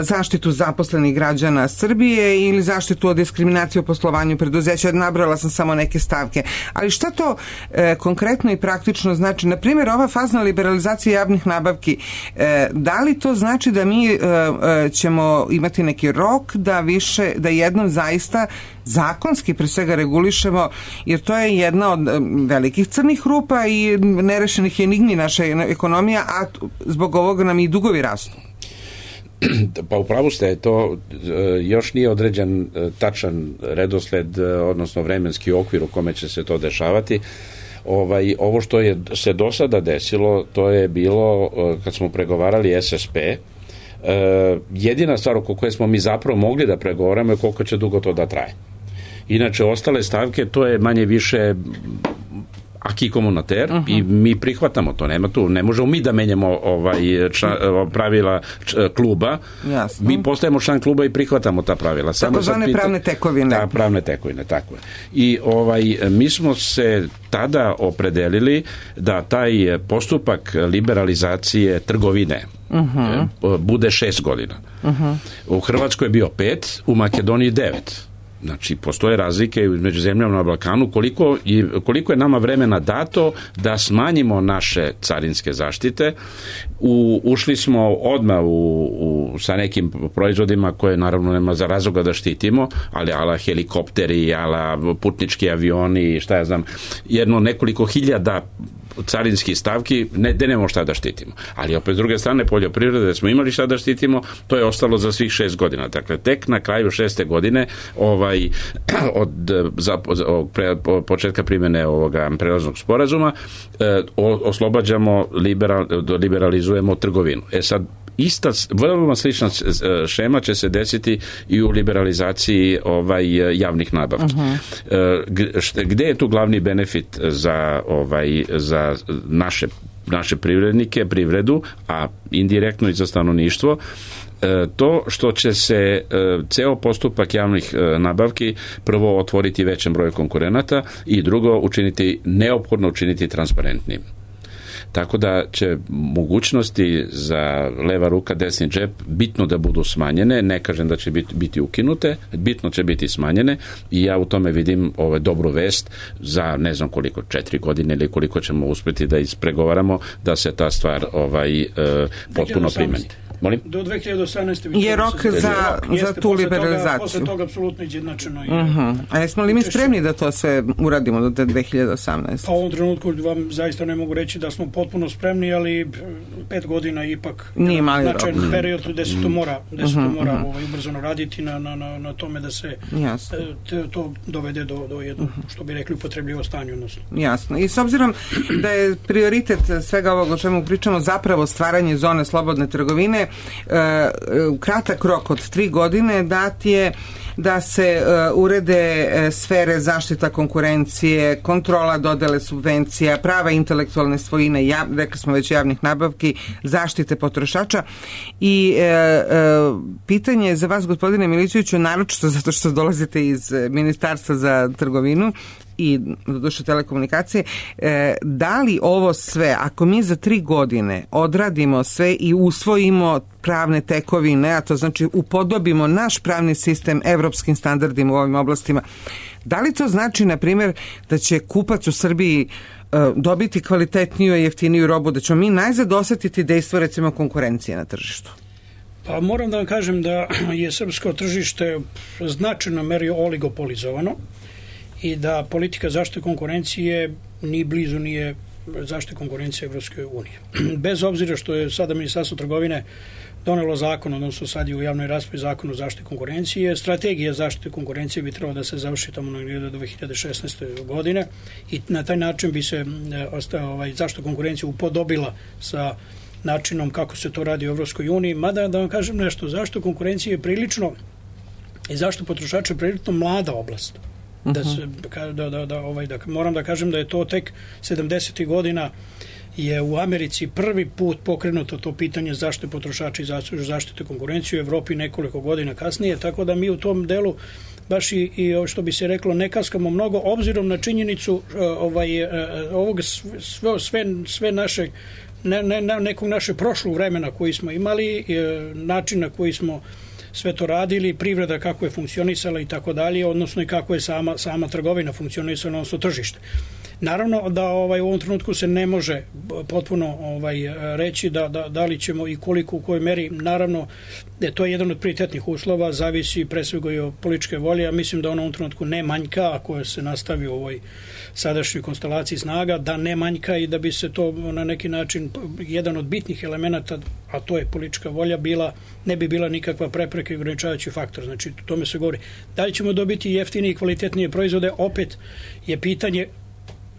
S4: zaštitu zaposlenih građana Srbije ili zaštitu od diskriminacije u poslovanju preduzeća. Nabrala sam samo neke stavke. Ali šta to e, konkretno i praktično znači? Na primjer, ova fazna liberalizacija javnih nabavki, e, da li to znači da mi e, e, ćemo imati neki rok da više, da jednom zaista zakonski pre svega regulišemo, jer to je jedna od velikih crnih rupa i nerešenih enigmi naše ekonomija, a zbog ovoga nam i dugovi rastu.
S7: Pa upravo ste, to još nije određen tačan redosled, odnosno vremenski okvir u kome će se to dešavati. Ovaj, ovo što je se do sada desilo, to je bilo kad smo pregovarali S S P, jedina stvar oko koje smo mi zapravo mogli da pregovaramo je koliko će dugo to da traje. Inače, ostale stavke, to je manje više aki komunater uh-huh. i mi prihvatamo to, nema tu, ne možemo mi da menjamo ovaj ča, pravila č, kluba.
S4: Jasno.
S7: Mi postajemo član kluba i prihvatamo ta pravila.
S4: Tako zvane pita, pravne tekovine.
S7: Da, pravne tekovine, tako je. I ovaj, mi smo se tada opredelili da taj postupak liberalizacije trgovine uh-huh. bude šest godina. Uh-huh. U Hrvatskoj je bio pet, u Makedoniji devet. Znači, postoje razlike među zemljama na Balkanu koliko, koliko je nama vremena dato da smanjimo naše carinske zaštite. U, ušli smo odmah u, u, sa nekim proizvodima koje naravno nema za razloga da štitimo, ali ala helikopteri, ala putnički avioni, šta ja znam, jedno nekoliko hiljada carinskih stavki, ne, ne nemamo šta da štitimo. Ali opet s druge strane poljoprivrede da smo imali šta da štitimo, to je ostalo za svih šest godina. Dakle, tek na kraju šeste godine ovaj, od za, od pre, početka primjene ovoga prelaznog sporazuma eh, oslobađamo, liberal, liberalizujemo trgovinu. E sad, ista, vrlo slična šema će se desiti i u liberalizaciji ovaj javnih nabavki. Uh-huh. Gde je tu glavni benefit za ovaj za naše naše privrednike, privredu, a indirektno i za stanovništvo? To što će se ceo postupak javnih nabavki prvo otvoriti većem broju konkurenata i drugo učiniti, neophodno učiniti transparentnim. Tako da će mogućnosti za leva ruka, desni džep bitno da budu smanjene, ne kažem da će biti, biti ukinute, bitno će biti smanjene i ja u tome vidim ovaj, dobru vest za ne znam koliko, četiri godine ili koliko ćemo uspjeti da ispregovaramo da se ta stvar ovaj, potpuno primeni. Molim?
S6: Do dve hiljade osamnaeste
S4: je rok za, za tu liberalizaciju.
S6: Posle toga apsolutno izjednačeno.
S4: Uh-huh. A jesmo li mi spremni da to sve uradimo do dve hiljade osamnaeste?
S6: Pa u ovom trenutku vam zaista ne mogu reći da smo potpuno spremni, ali pet godina ipak
S4: nije mali rok.
S6: Značajan period gde se to mora, gde se to uh-huh, mora uh-huh. ovaj, ubrzano raditi na, na, na, na tome da se te, to dovede do, do jednog, uh-huh. što bi rekli, upotrebljivo stanje. Odnosno.
S4: Jasno. I s obzirom da je prioritet svega ovog o čemu pričamo zapravo stvaranje zone slobodne trgovine, Uh, kratak rok od tri godine dat je da se uh, urede uh, sfere zaštita konkurencije, kontrola dodele subvencija, prava intelektualne svojine, jav, rekli smo već javnih nabavki, zaštite potrošača i uh, uh, pitanje je za vas, gospodine Milićeviću, naročito zato što dolazite iz Ministarstva za trgovinu i doduše telekomunikacije, e, da li ovo sve, ako mi za tri godine odradimo sve i usvojimo pravne tekovine, a to znači upodobimo naš pravni sistem evropskim standardima u ovim oblastima, da li to znači, na primjer, da će kupac u Srbiji e, dobiti kvalitetniju i jeftiniju robu, da ćemo mi najzad osetiti dejstvo, recimo, konkurencije na tržištu?
S6: Pa moram da vam kažem da je srpsko tržište značajno meri oligopolizovano i da politika zaštite konkurencije ni blizu nije zaštite konkurencije Evropske unije. Bez obzira što je sada Ministarstvo trgovine donelo zakon, odnosno sad je u javnoj raspravi zakon o zaštiti konkurencije, strategija zaštite konkurencije bi trebalo da se završi tamo do dve hiljade šesnaeste. godine i na taj način bi se ostao, ovaj, zaštita konkurencije upodobila sa načinom kako se to radi u Evropskoj uniji. Mada da vam kažem nešto, zaštita konkurencije je prilično i zaštita potrošača je prilično mlada oblast. Da se, da, da, da, ovaj, da, moram da kažem da je to tek sedamdesetih godina je u Americi prvi put pokrenuto to pitanje zaštite potrošača i zaštite konkurencije, u Evropi nekoliko godina kasnije, tako da mi u tom delu baš i, i što bi se reklo ne kaskamo mnogo, obzirom na činjenicu ovaj, ovog sve, sve, sve naše ne, ne, nekog naše prošlog vremena koji smo imali, način na koji smo sve to radili, privreda kako je funkcionisala i tako dalje, odnosno i kako je sama, sama trgovina funkcionisala, odnosno tržište. Naravno da ovaj, u ovom trenutku se ne može potpuno ovaj, reći da, da, da li ćemo i koliko u kojoj meri, naravno da to je jedan od prioritetnih uslova, zavisi pre svega i od političke volje, a mislim da ona u ovom trenutku ne manjka, ako se nastavi u ovoj sadašnjoj konstelaciji snaga, da ne manjka i da bi se to na neki način, jedan od bitnih elemenata, a to je politička volja, bila, ne bi bila nikakva prepreka i ograničavajući faktor. Znači, o tome se govori. Da li ćemo dobiti jeftinije i kvalitetnije proizvode, opet je pitanje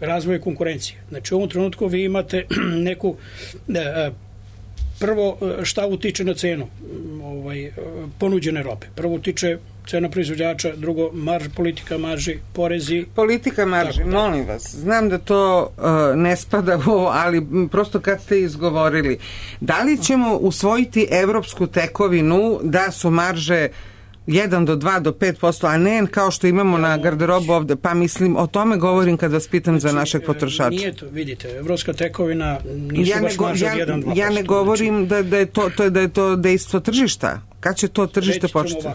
S6: razvoja konkurencije. Znači, u ovom trenutku vi imate neku prvo šta utiče na cenu ovaj, ponuđene robe. Prvo utiče cena proizvođača, drugo marž, politika marži, porezi.
S4: Politika marži, tako, molim vas, znam da to uh, ne spada u ovo, ali prosto kad ste izgovorili, da li ćemo usvojiti evropsku tekovinu da su marže jedan do dva do pet posto, a ne kao što imamo na garderobu ovde, pa mislim, o tome govorim kad vas pitam znači, za našeg potrošača.
S6: Nije to, vidite, evropska tekovina nisu ja baš marže od jedan do dva posto.
S4: Ja ne govorim znači, da, da, je to, to, da je to dejstvo tržišta. Kad će to tržište početi?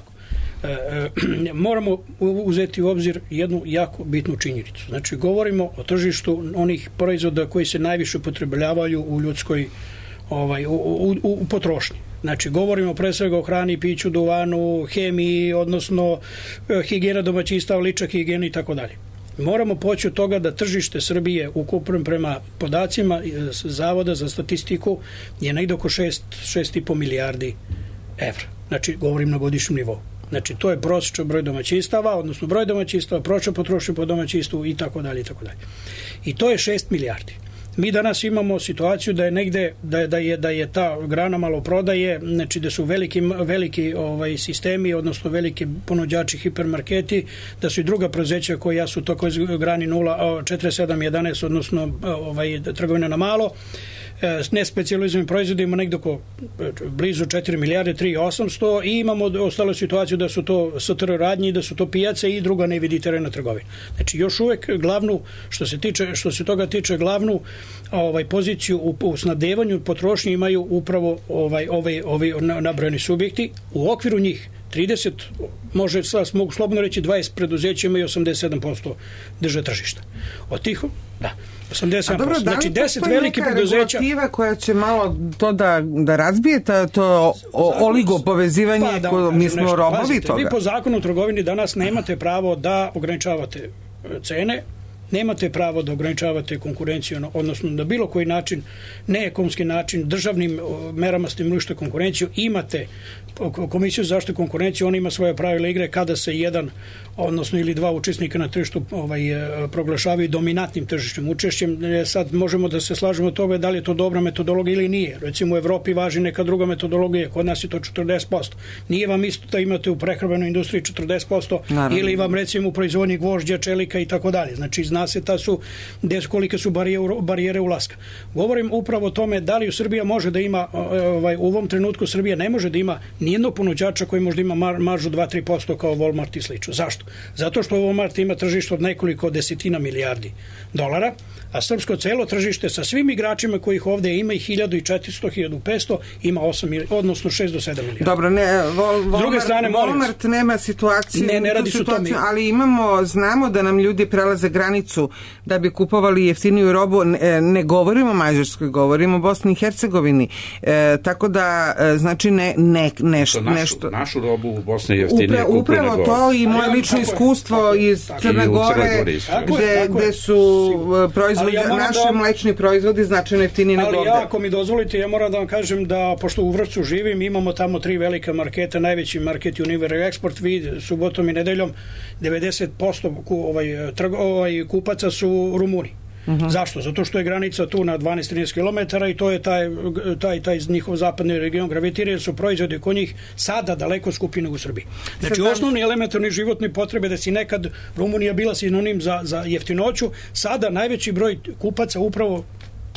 S6: E, e, moramo uzeti u obzir jednu jako bitnu činjenicu. Znači, govorimo o tržištu onih proizvoda koji se najviše upotrebljavaju u ljudskoj ovaj, u, u, u potrošnji. Znači, govorimo pre svega o hrani, piću, duvanu, hemiji, odnosno higijena domaćinstva, lična higijena i tako dalje. Moramo poći od toga da tržište Srbije ukupno prema podacima Zavoda za statistiku je negde oko šest i po milijardi evra. Znači, govorim na godišnjem nivou. Znači, to je prosječan broj domaćinstava, odnosno broj domaćinstava, prosječna potrošnja po domaćinstvu i tako dalje i tako dalje. I to je šest milijardi. Mi danas imamo situaciju da je negde da je da je da je ta grana maloprodaje, znači da su veliki veliki ovaj sistemi, odnosno veliki ponuđači hipermarketi, da su i druga preduzeća koja su toko grani nula četiri sedam jedanaest, odnosno ovaj trgovina na malo, s nespecijalizovanim proizvodima negde oko blizu četiri milijarde, tri i osamsto, i imamo ostalo situaciju da su to S T R radnji, da su to pijace i druga neviditerena trgovina. Znači, još uvek glavnu, što se tiče, što se toga tiče, glavnu ovaj poziciju u, u snabdevanju potrošnje imaju upravo ovaj ovaj ovi nabrojeni subjekti. U okviru njih trideset, može sad mogu slobodno reći dvadeset preduzeća imaju osamdeset sedam posto drže tržišta. Od tih, da, osamdeset sedam posto. Dobro, znači deset velikih preduzeća.
S4: Regulativa koja će malo to da, da razbije to oligopovezivanje, pa, da, ko, mi smo nešto, robovi pazite, toga.
S6: Vi po zakonu o trgovini danas nemate pravo da ograničavate cene, nemate pravo da ograničavate konkurenciju, odnosno na bilo koji način, neekonomski način, državnim merama stimulišete konkurenciju. Imate Komisiju za zaštitu konkurencije, ona ima svoje pravila igre kada se jedan, odnosno ili dva učesnika na tržištu ovaj, proglašavaju dominantnim tržišnim učešćem. Sad možemo da se slažemo od toga da li je to dobra metodologija ili nije. Recimo u Evropi važi neka druga metodologija, kod nas je to četrdeset posto. Nije vam isto da imate u prehrambenoj industriji četrdeset posto, naravno, ili vam recimo u proizvodnji gvožđa, čelika i tako dalje. Znači, zna se ta su, kolike su barijere, barijere ulaska. Govorim upravo o tome da li u Srbija može da ima, ovaj, u ovom trenutku Srbija ne može da ima nijednog ponuđača koji možda ima mar, maržu dva do tri posto kao Walmart i slično. Zašto? Zato što Walmart ima tržište od nekoliko desetina milijardi dolara, a srpsko celo tržište sa svim igračima kojih ovde ima i hiljadu četiristo, hiljadu petsto, ima osam, odnosno šest do sedam milijardi.
S4: Dobro, ne, Vol, Walmart, druge strane, Walmart nema situaciju,
S6: ne, ne radi su to mi.
S4: Ali imamo, znamo da nam ljudi prelaze granicu da bi kupovali jeftiniju robu, ne, ne govorimo o Mađarskoj, govorimo o Bosni i Hercegovini, e, tako da, znači, ne, ne, nešto.
S7: Našu,
S4: nešto.
S7: našu robu u Bosni je jeftinije
S4: Upra, Upravo to i moje lično iskustvo iz Crne Gore, gde, gde su proizvodi, ja naši da, mlečni proizvodi značajno jeftiniji nego ovde.
S6: Ali ja, ako mi dozvolite, ja moram da vam kažem da, pošto u Vršcu živim, imamo tamo tri velika marketa, najveći market Univer Export, vi subotom i nedeljom devedeset posto ovaj, trg, ovaj, kupaca su Rumuni. Uh-huh. Zašto? Zato što je granica tu na dvanaest do trinaest kilometara i to je taj, taj, taj njihov zapadni region gravitira, jer su proizvodi kod njih sada daleko skupi nego u Srbiji. Znači, sad, osnovni elementarni životni potrebe da si nekad Rumunija bila sinonim za, za jeftinoću, sada najveći broj kupaca upravo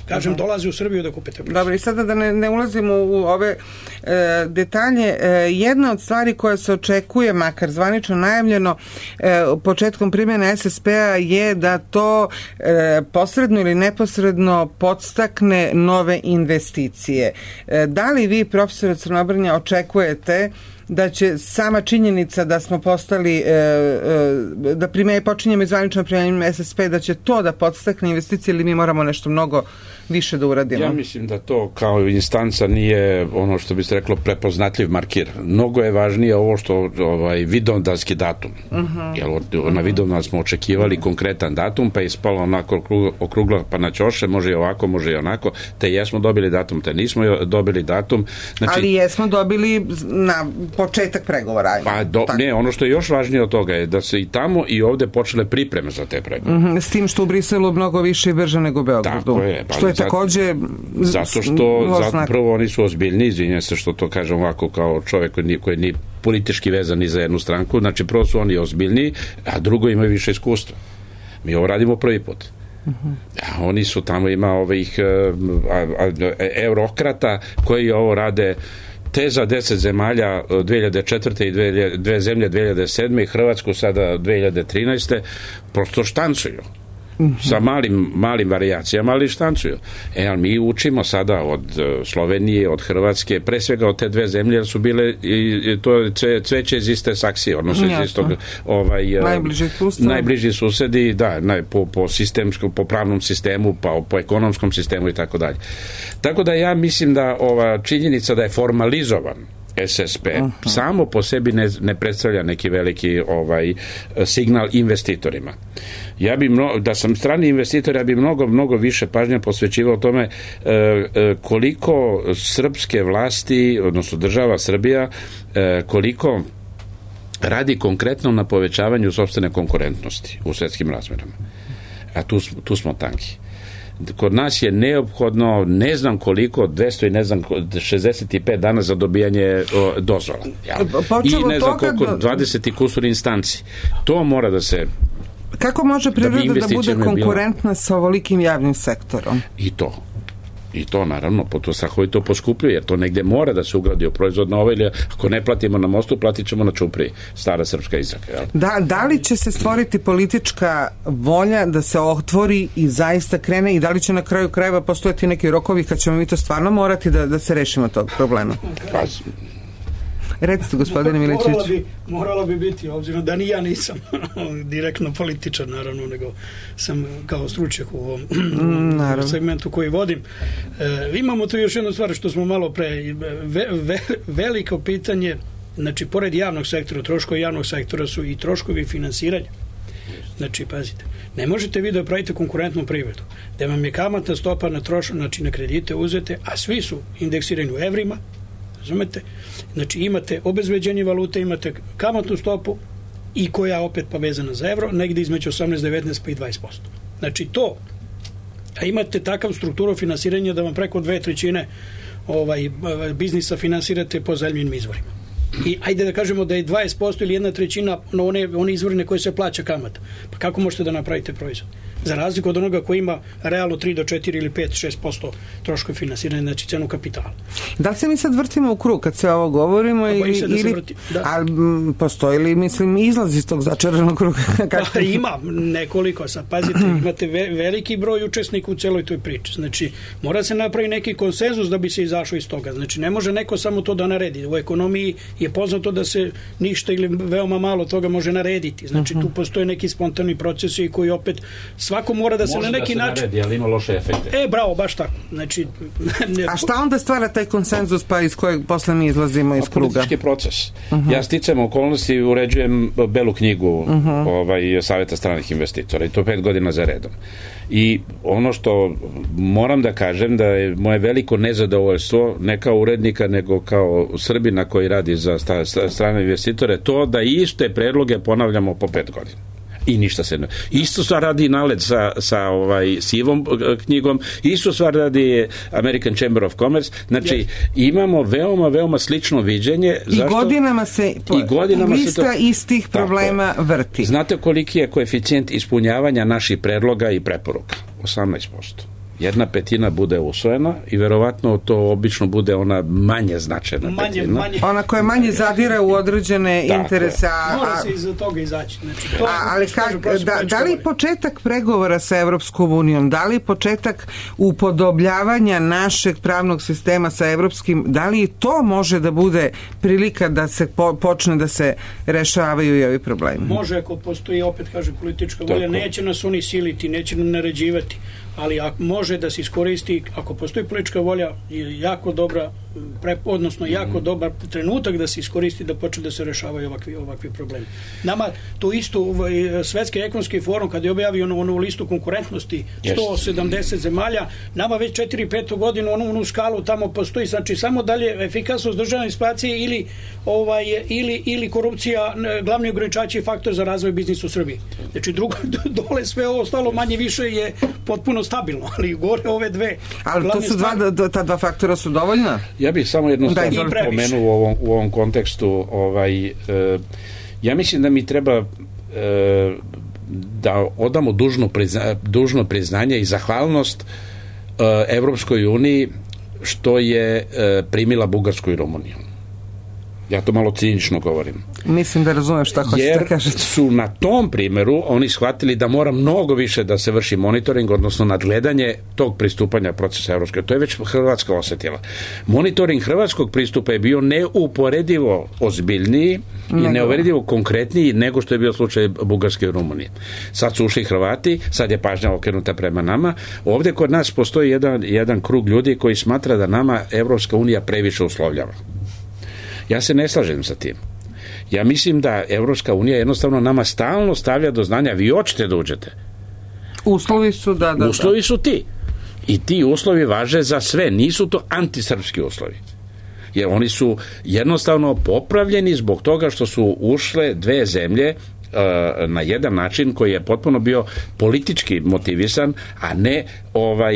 S6: kažem, dolazi u Srbiju da kupite proizvod.
S4: Dobro, i sada da ne, ne ulazimo u ove e, detalje, e, jedna od stvari koja se očekuje, makar zvanično najavljeno, e, početkom primjene S S P-a je da to e, posredno ili neposredno podstakne nove investicije. E, da li vi, profesore Crnobrnja, očekujete da će sama činjenica da smo postali, e, e, da prime, počinjemo izvanično primjenjem S S P, da će to da podstakne investicije ili mi moramo nešto mnogo više da uradimo?
S7: Ja mislim da to kao instanca nije ono što bi se reklo prepoznatljiv markir. Mnogo je važnije ovo što ovaj vidovdanski datum. Uh-huh. Jer od, uh-huh. na Vidovdan smo očekivali uh-huh. konkretan datum, pa je ispalo onako okrugla, okrugla pa na ćoše, može i ovako, može i onako, te jesmo dobili datum, te nismo dobili datum. Znači,
S4: ali jesmo dobili na početak pregovora.
S7: Pa do, ne, ono što je još važnije od toga je da se i tamo i ovde počele pripreme za te pregovore.
S4: Uh-huh. S tim što u Briselu mnogo više i brže nego u Beogradu.
S7: Tako je.
S4: Što je takođe
S7: zato što zato, prvo oni su ozbiljni, izvinjam se što to kažem ovako kao čovjek koji nije, koji nije politički vezan ni za jednu stranku, znači prvo su oni ozbiljni, a drugo imaju više iskustva. Mi ovo radimo prvi put. Uh-huh. A oni su tamo ima ovih a, a, eurokrata koji ovo rade te za deset zemalja dve hiljade četvrte i dve, dve zemlje dve hiljade sedme i Hrvatsku sada dve hiljade trinaeste prosto štancuju. Sa malim, malim varijacijama, ali štancuju. E, ali mi učimo sada od Slovenije, od Hrvatske, pre svega od te dve zemlje, jer su bile i, i to je cve, cveće iz iste saksije, odnosno iz istog ovaj,
S4: najbliži,
S7: najbliži susedi, da, naj, po, po sistemskom, po pravnom sistemu, pa po ekonomskom sistemu i tako dalje. Tako da ja mislim da ova činjenica da je formalizovan S S P uh-huh. samo po sebi ne, ne predstavlja neki veliki ovaj signal investitorima. Ja bi mno, da sam strani investitor, ja bi mnogo, mnogo više pažnje posvećivao tome e, e, koliko srpske vlasti, odnosno država Srbija, e, koliko radi konkretno na povećavanju sopstvene konkurentnosti u svetskim razmerama. A tu, tu smo tanki. Kod nas je neophodno ne znam koliko, dvesta i ne znam šezdeset pet dana za dobijanje o, dozvola. Ja. I ne znam koliko, do... dvadeset i kusur instanci. To mora da se...
S4: Kako može priroda da, da bude konkurentna bilo... sa ovolikim javnim sektorom?
S7: I to. I to naravno, po to strahovi to poskupljuje, jer to negde mora da se ugradi u proizvod na ovaj, ili ako ne platimo na mostu, platit ćemo na čupriji. Stara srpska izraka. Jel?
S4: Da, da li će se stvoriti politička volja da se otvori i zaista krene i da li će na kraju krajeva postojati neki rokovi kad ćemo mi to stvarno morati da, da se rešimo tog problema?
S7: Pa,
S4: recite, gospodine Milićević.
S6: Morala bi, morala bi biti, obzirom da ni ja nisam direktno političar, naravno, nego sam kao stručnjak u ovom mm, segmentu koji vodim. E, imamo tu još jednu stvar što smo malo pre, ve, ve, veliko pitanje, znači, pored javnog sektora, troškovi javnog sektora su i troškovi finansiranja. Znači, pazite, ne možete vi da pravite konkurentnu privredu, da vam je kamatna stopa na trošak, znači na kredite uzete, a svi su indeksirani u evrima, razumete? Znači imate obezbeđenje valute, imate kamatnu stopu i koja opet pa vezana za evro, negdje između osamnaest, devetnaest pa i dvadeset posto. Znači to, a imate takav strukturu finansiranja da vam preko dve trećine ovaj, biznisa finansirate po zemljinim izvorima. I ajde da kažemo da je dvadeset posto ili jedna trećina na one, one izvorine koje se plaća kamata. Pa kako možete da napravite proizvod? Za razliku od onoga koji ima realno tri do četiri ili pet do šest posto troškove finansiranja, znači cenu kapitala.
S4: Da li se mi sad vrtimo u krug kad se ovo govorimo?
S6: Pa
S4: ili,
S6: se da
S4: ili,
S6: se vrti, da.
S4: Ali postoji li, mislim, izlaz iz tog začaranog kruga?
S6: Pa ima nekoliko. Sad, pazite, imate ve, veliki broj učesnika u celoj toj priči. Znači, mora se napraviti neki konsenzus da bi se izašao iz toga. Znači, ne može neko samo to da naredi. U ekonomiji je poznato da se ništa ili veoma malo toga može narediti. Znači, tu postoje neki spontani procesi koji opet svako mora da se
S7: može
S6: na neki
S7: da se
S6: način...
S7: naredi, ali ima loše efekte.
S6: E, bravo, baš tako. Znači, ne...
S4: A šta onda stvara taj konsenzus pa iz kojeg posle mi izlazimo iz kruga?
S7: Politički proces. Uh-huh. Ja sticam okolnosti, uređujem belu knjigu uh-huh. ovaj, Saveta stranih investitora i to pet godina za redom. I ono što moram da kažem da je moje veliko nezadovoljstvo ne kao urednika nego kao Srbina koji radi za strane investitore to da iste predloge ponavljamo po pet godina. I ništa se ne... Isto stvar radi NALED sa, sa ovaj sivom knjigom, isto stvar radi American Chamber of Commerce, znači yes. imamo veoma, veoma slično viđenje.
S4: I zašto? godinama se
S7: I godinama
S4: lista
S7: se to...
S4: istih problema
S7: tako
S4: vrti.
S7: Znate koliki je koeficijent ispunjavanja naših predloga i preporuka? osamnaest posto. Jedna petina bude usvojena i verovatno to obično bude ona manje značajna
S6: manje,
S7: petina.
S6: Manje.
S4: Ona koja manje zadire u određene
S7: dakle.
S4: interese. A,
S6: mora se iza toga izaći. Znači, to
S4: a, ali kak, da, da li početak pregovora sa Evropskom unijom, da li početak upodobljavanja našeg pravnog sistema sa evropskim, da li to može da bude prilika da se po, počne da se rešavaju i ovi problemi?
S6: Može, ako postoji, opet kaže, politička volja, neće nas oni siliti, neće nam naređivati, ali ako može da se iskoristi, ako postoji politička volja, je jako dobra pre, odnosno jako dobar trenutak da se iskoristi da počne da se rešavaju ovakvi, ovakvi problemi. Nama to isto ovaj, Svetski ekonomski forum kad je objavio onu, onu listu konkurentnosti sto sedamdeset zemalja, nama već četiri pet godinu onu, onu skalu tamo postoji, znači samo dalje efikasnost državne administracije ili, ovaj, ili, ili korupcija glavni ograničači faktor za razvoj biznisa u Srbiji. Znači drugo, dole sve ovo ostalo manje više je potpuno stabilno, ali gore ove dve.
S4: Ali to su dva, ta dva faktora su dovoljna?
S7: Ja bih samo jednu stvar pomenuo u ovom, u ovom kontekstu. Ovaj, e, ja mislim da mi treba e, da odamo dužno, prizna, dužno priznanje i zahvalnost e, Evropskoj uniji što je e, primila Bugarsku i Rumuniju. Ja to malo cinično govorim.
S4: Mislim da razumem šta hoćete da kažete.
S7: Jer su na tom primjeru oni shvatili da mora mnogo više da se vrši monitoring, odnosno nadgledanje tog pristupanja procesa Evropske. To je već Hrvatska osjetila. Monitoring hrvatskog pristupa je bio neuporedivo ozbiljniji nego. i neuporedivo konkretniji nego što je bio slučaj Bugarske i Rumunije. Sad su ušli Hrvati, sad je pažnja okrenuta prema nama. Ovdje kod nas postoji jedan, jedan krug ljudi koji smatra da nama Evropska unija previše uslovljava. Ja se ne slažem sa tim. Ja mislim da Evropska unija jednostavno nama stalno stavlja do znanja, vi hoćete da uđete.
S4: Uslovi su da, da,
S7: Uslovi su ti. I ti uslovi važe za sve. Nisu to antisrpski uslovi. Jer oni su jednostavno popravljeni zbog toga što su ušle dve zemlje na jedan način koji je potpuno bio politički motivisan, a ne ovaj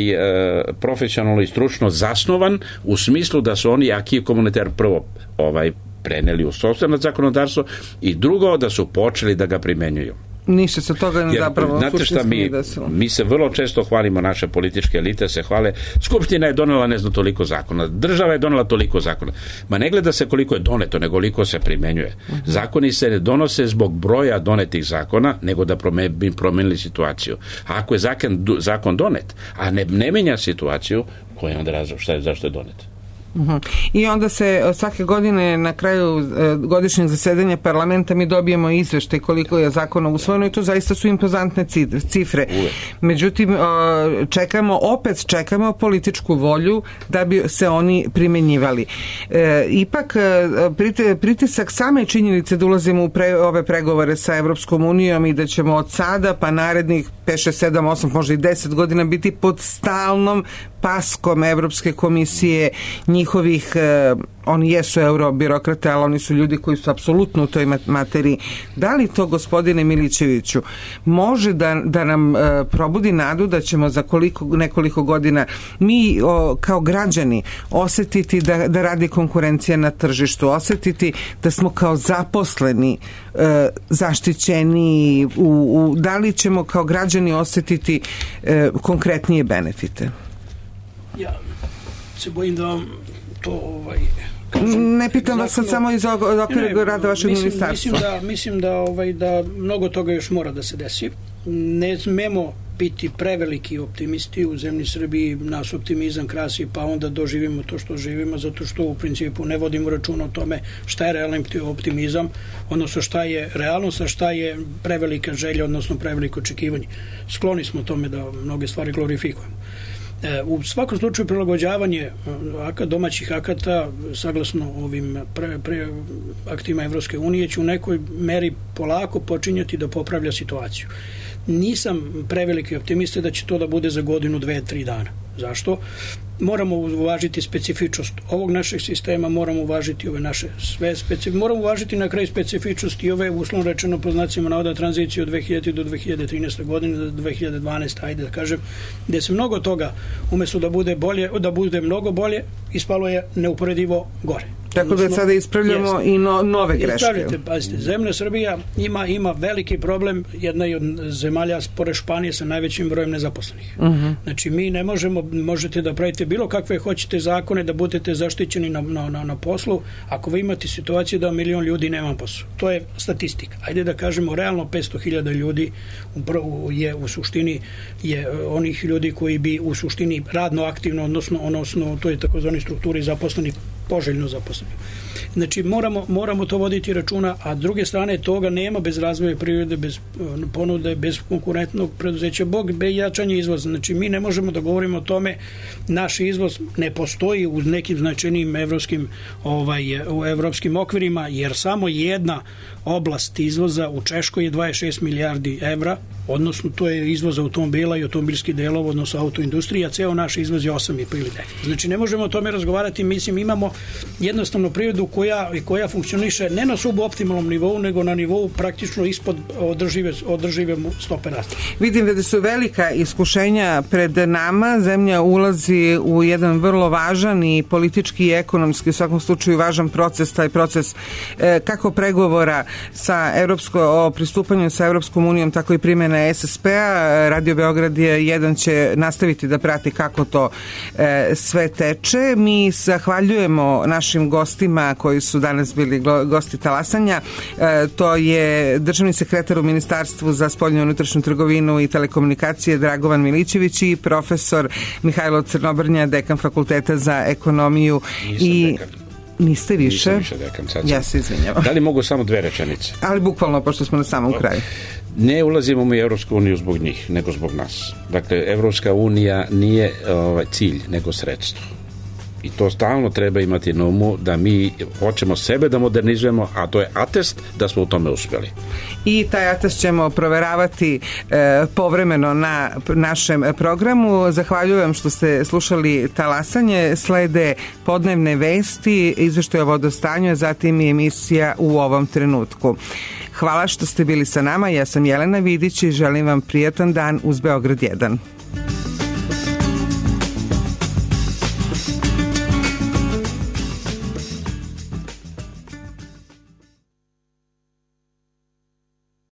S7: profesionalno i stručno zasnovan u smislu da su oni acquis communautaire prvo ovaj preneli u sopstveno zakonodavstvo i drugo da su počeli da ga primenjuju.
S4: Ništa se toga ne zapravo
S7: znate šta mi, mi se vrlo često hvalimo, naše političke elite se hvale, Skupština je donela ne znam toliko zakona, država je donela toliko zakona. Ma ne gleda se koliko je doneto, nego koliko se primenjuje. Uh-huh. Zakoni se ne donose zbog broja donetih zakona, nego da bi promenili situaciju. A ako je zakon, zakon donet, a ne, ne menja situaciju, koji je onda razlog, šta je, zašto je donet?
S4: Uhum. I onda se svake godine na kraju e, godišnjeg zasedanja parlamenta mi dobijemo izveštaj koliko je zakona usvojeno i to zaista su impozantne cifre. Uvijek. Međutim, e, čekamo, opet čekamo političku volju da bi se oni primenjivali. E, ipak e, pritisak same činjenice da ulazimo u pre, ove pregovore sa Evropskom unijom i da ćemo od sada pa narednih pet, šest, sedam, osam, možda i deset godina biti pod stalnom paskom Evropske komisije, njihovih, eh, oni jesu eurobirokrate, ali oni su ljudi koji su apsolutno u toj materiji. Da li to, gospodine Milićeviću, može da, da nam eh, probudi nadu da ćemo za koliko, nekoliko godina mi o, kao građani osjetiti da, da radi konkurencija na tržištu, osjetiti da smo kao zaposleni eh, zaštićeni, u, u, da li ćemo kao građani osjetiti eh, konkretnije benefite?
S6: Ja se bojim da vam to ovaj, kažem,
S4: ne pitam vas sad samo iz okvira rada vašeg
S6: mislim,
S4: ministarstva.
S6: Mislim da, mislim da, ovaj, da mnogo toga još mora da se desi. Ne smemo biti preveliki optimisti u zemlji Srbiji, nas optimizam krasi pa onda doživimo to što živimo, zato što u principu ne vodimo računa o tome šta je realan optimizam, odnosno šta je realnost, a šta je prevelika želja, odnosno preveliko očekivanje. Skloni smo tome da mnoge stvari glorifikujemo. U svakom slučaju prilagođavanje domaćih akata saglasno ovim pre, pre aktima Evropske unije će u nekoj meri polako počinjati da popravlja situaciju. Nisam preveliki optimista da će to da bude za godinu, dve, tri dana. Zašto? Moramo uvažiti specifičnost ovog našeg sistema, moramo uvažiti ove naše sve specifičnosti, moramo uvažiti na kraju specifičnosti i ove uslovno rečeno po znacima navoda tranziciju od dve hiljadite do dve hiljade trinaeste godine do dve hiljade dvanaeste ajde da kažem, gde se mnogo toga umjesto da bude bolje, da bude mnogo bolje, ispalo je neuporedivo gore.
S4: Tako da sada ispravljamo jest. i no, nove greške.
S6: Ispravljate, pazite, zemlja Srbija ima, ima veliki problem, jedna je od zemalja pored Španije sa najvećim brojem nezaposlenih. Uh-huh. Znači mi ne možemo, možete da pravite bilo kakve hoćete zakone da budete zaštićeni na, na, na, na poslu, ako vi imate situaciju da milion ljudi nema poslu. To je statistika. Ajde da kažemo, realno petsto hiljada ljudi upravo je u suštini je onih ljudi koji bi u suštini radno aktivno, odnosno, odnosno to je takozvani strukturi zaposleni poželjno zaposleno. Znači moramo, moramo to voditi računa, a s druge strane toga nema bez razvoja privrede, bez ponude, bez konkurentnog preduzeća, bog bez jačanja izvoza. Znači mi ne možemo da govorimo o tome, naš izvoz ne postoji u nekim značajnim evropskim, ovaj, u evropskim okvirima, jer samo jedna oblast izvoza u Češkoj je dvadeset šest milijardi evra, odnosno to je izvoz automobila i automobilskih delova, odnosno autoindustrija, ceo naš izvoz je osam i po ili devet. Znači ne možemo o tome razgovarati, mislim imamo jednostavno privredu koja, koja funkcioniše ne na suboptimalnom nivou, nego na nivou praktično ispod održive, održive stope rasta.
S4: Vidim da su velika iskušenja pred nama, zemlja ulazi u jedan vrlo važan i politički i ekonomski, u svakom slučaju važan proces, taj proces e, kako pregovora sa Evropsko, o pristupanju sa Evropskom unijom, tako i primjena S S P-a. Radio Beograd je jedan će nastaviti da prati kako to e, sve teče. Mi zahvaljujemo našim gostima koji su danas bili gosti talasanja. E, to je državni sekretar u Ministarstvu za spoljnu i unutrašnju trgovinu i telekomunikacije Dragovan Milićević i profesor Mihajlo Crnobrnja, dekan Fakulteta za ekonomiju.
S7: Nisam
S4: i
S7: dekan.
S4: Niste više?
S7: Nisam više dekan, sad
S4: ja se izvinjavam.
S7: Da li mogu samo dve rečenice?
S4: Ali bukvalno, pošto smo na samom kraju.
S7: Ne ulazimo mi u Evropsku uniju zbog njih, nego zbog nas. Dakle, Evropska unija nije ovaj, cilj, nego sredstvo. I to stalno treba imati na umu, da mi hoćemo sebe da modernizujemo, a to je atest da smo u tome uspjeli.
S4: I taj atest ćemo proveravati e, povremeno na našem programu. Zahvaljujem što ste slušali talasanje. Slede podnevne vesti, izveštaj o vodostanju, a zatim i emisija U ovom trenutku. Hvala što ste bili sa nama. Ja sam Jelena Vidić i želim vam prijatan dan uz Beograd jedan.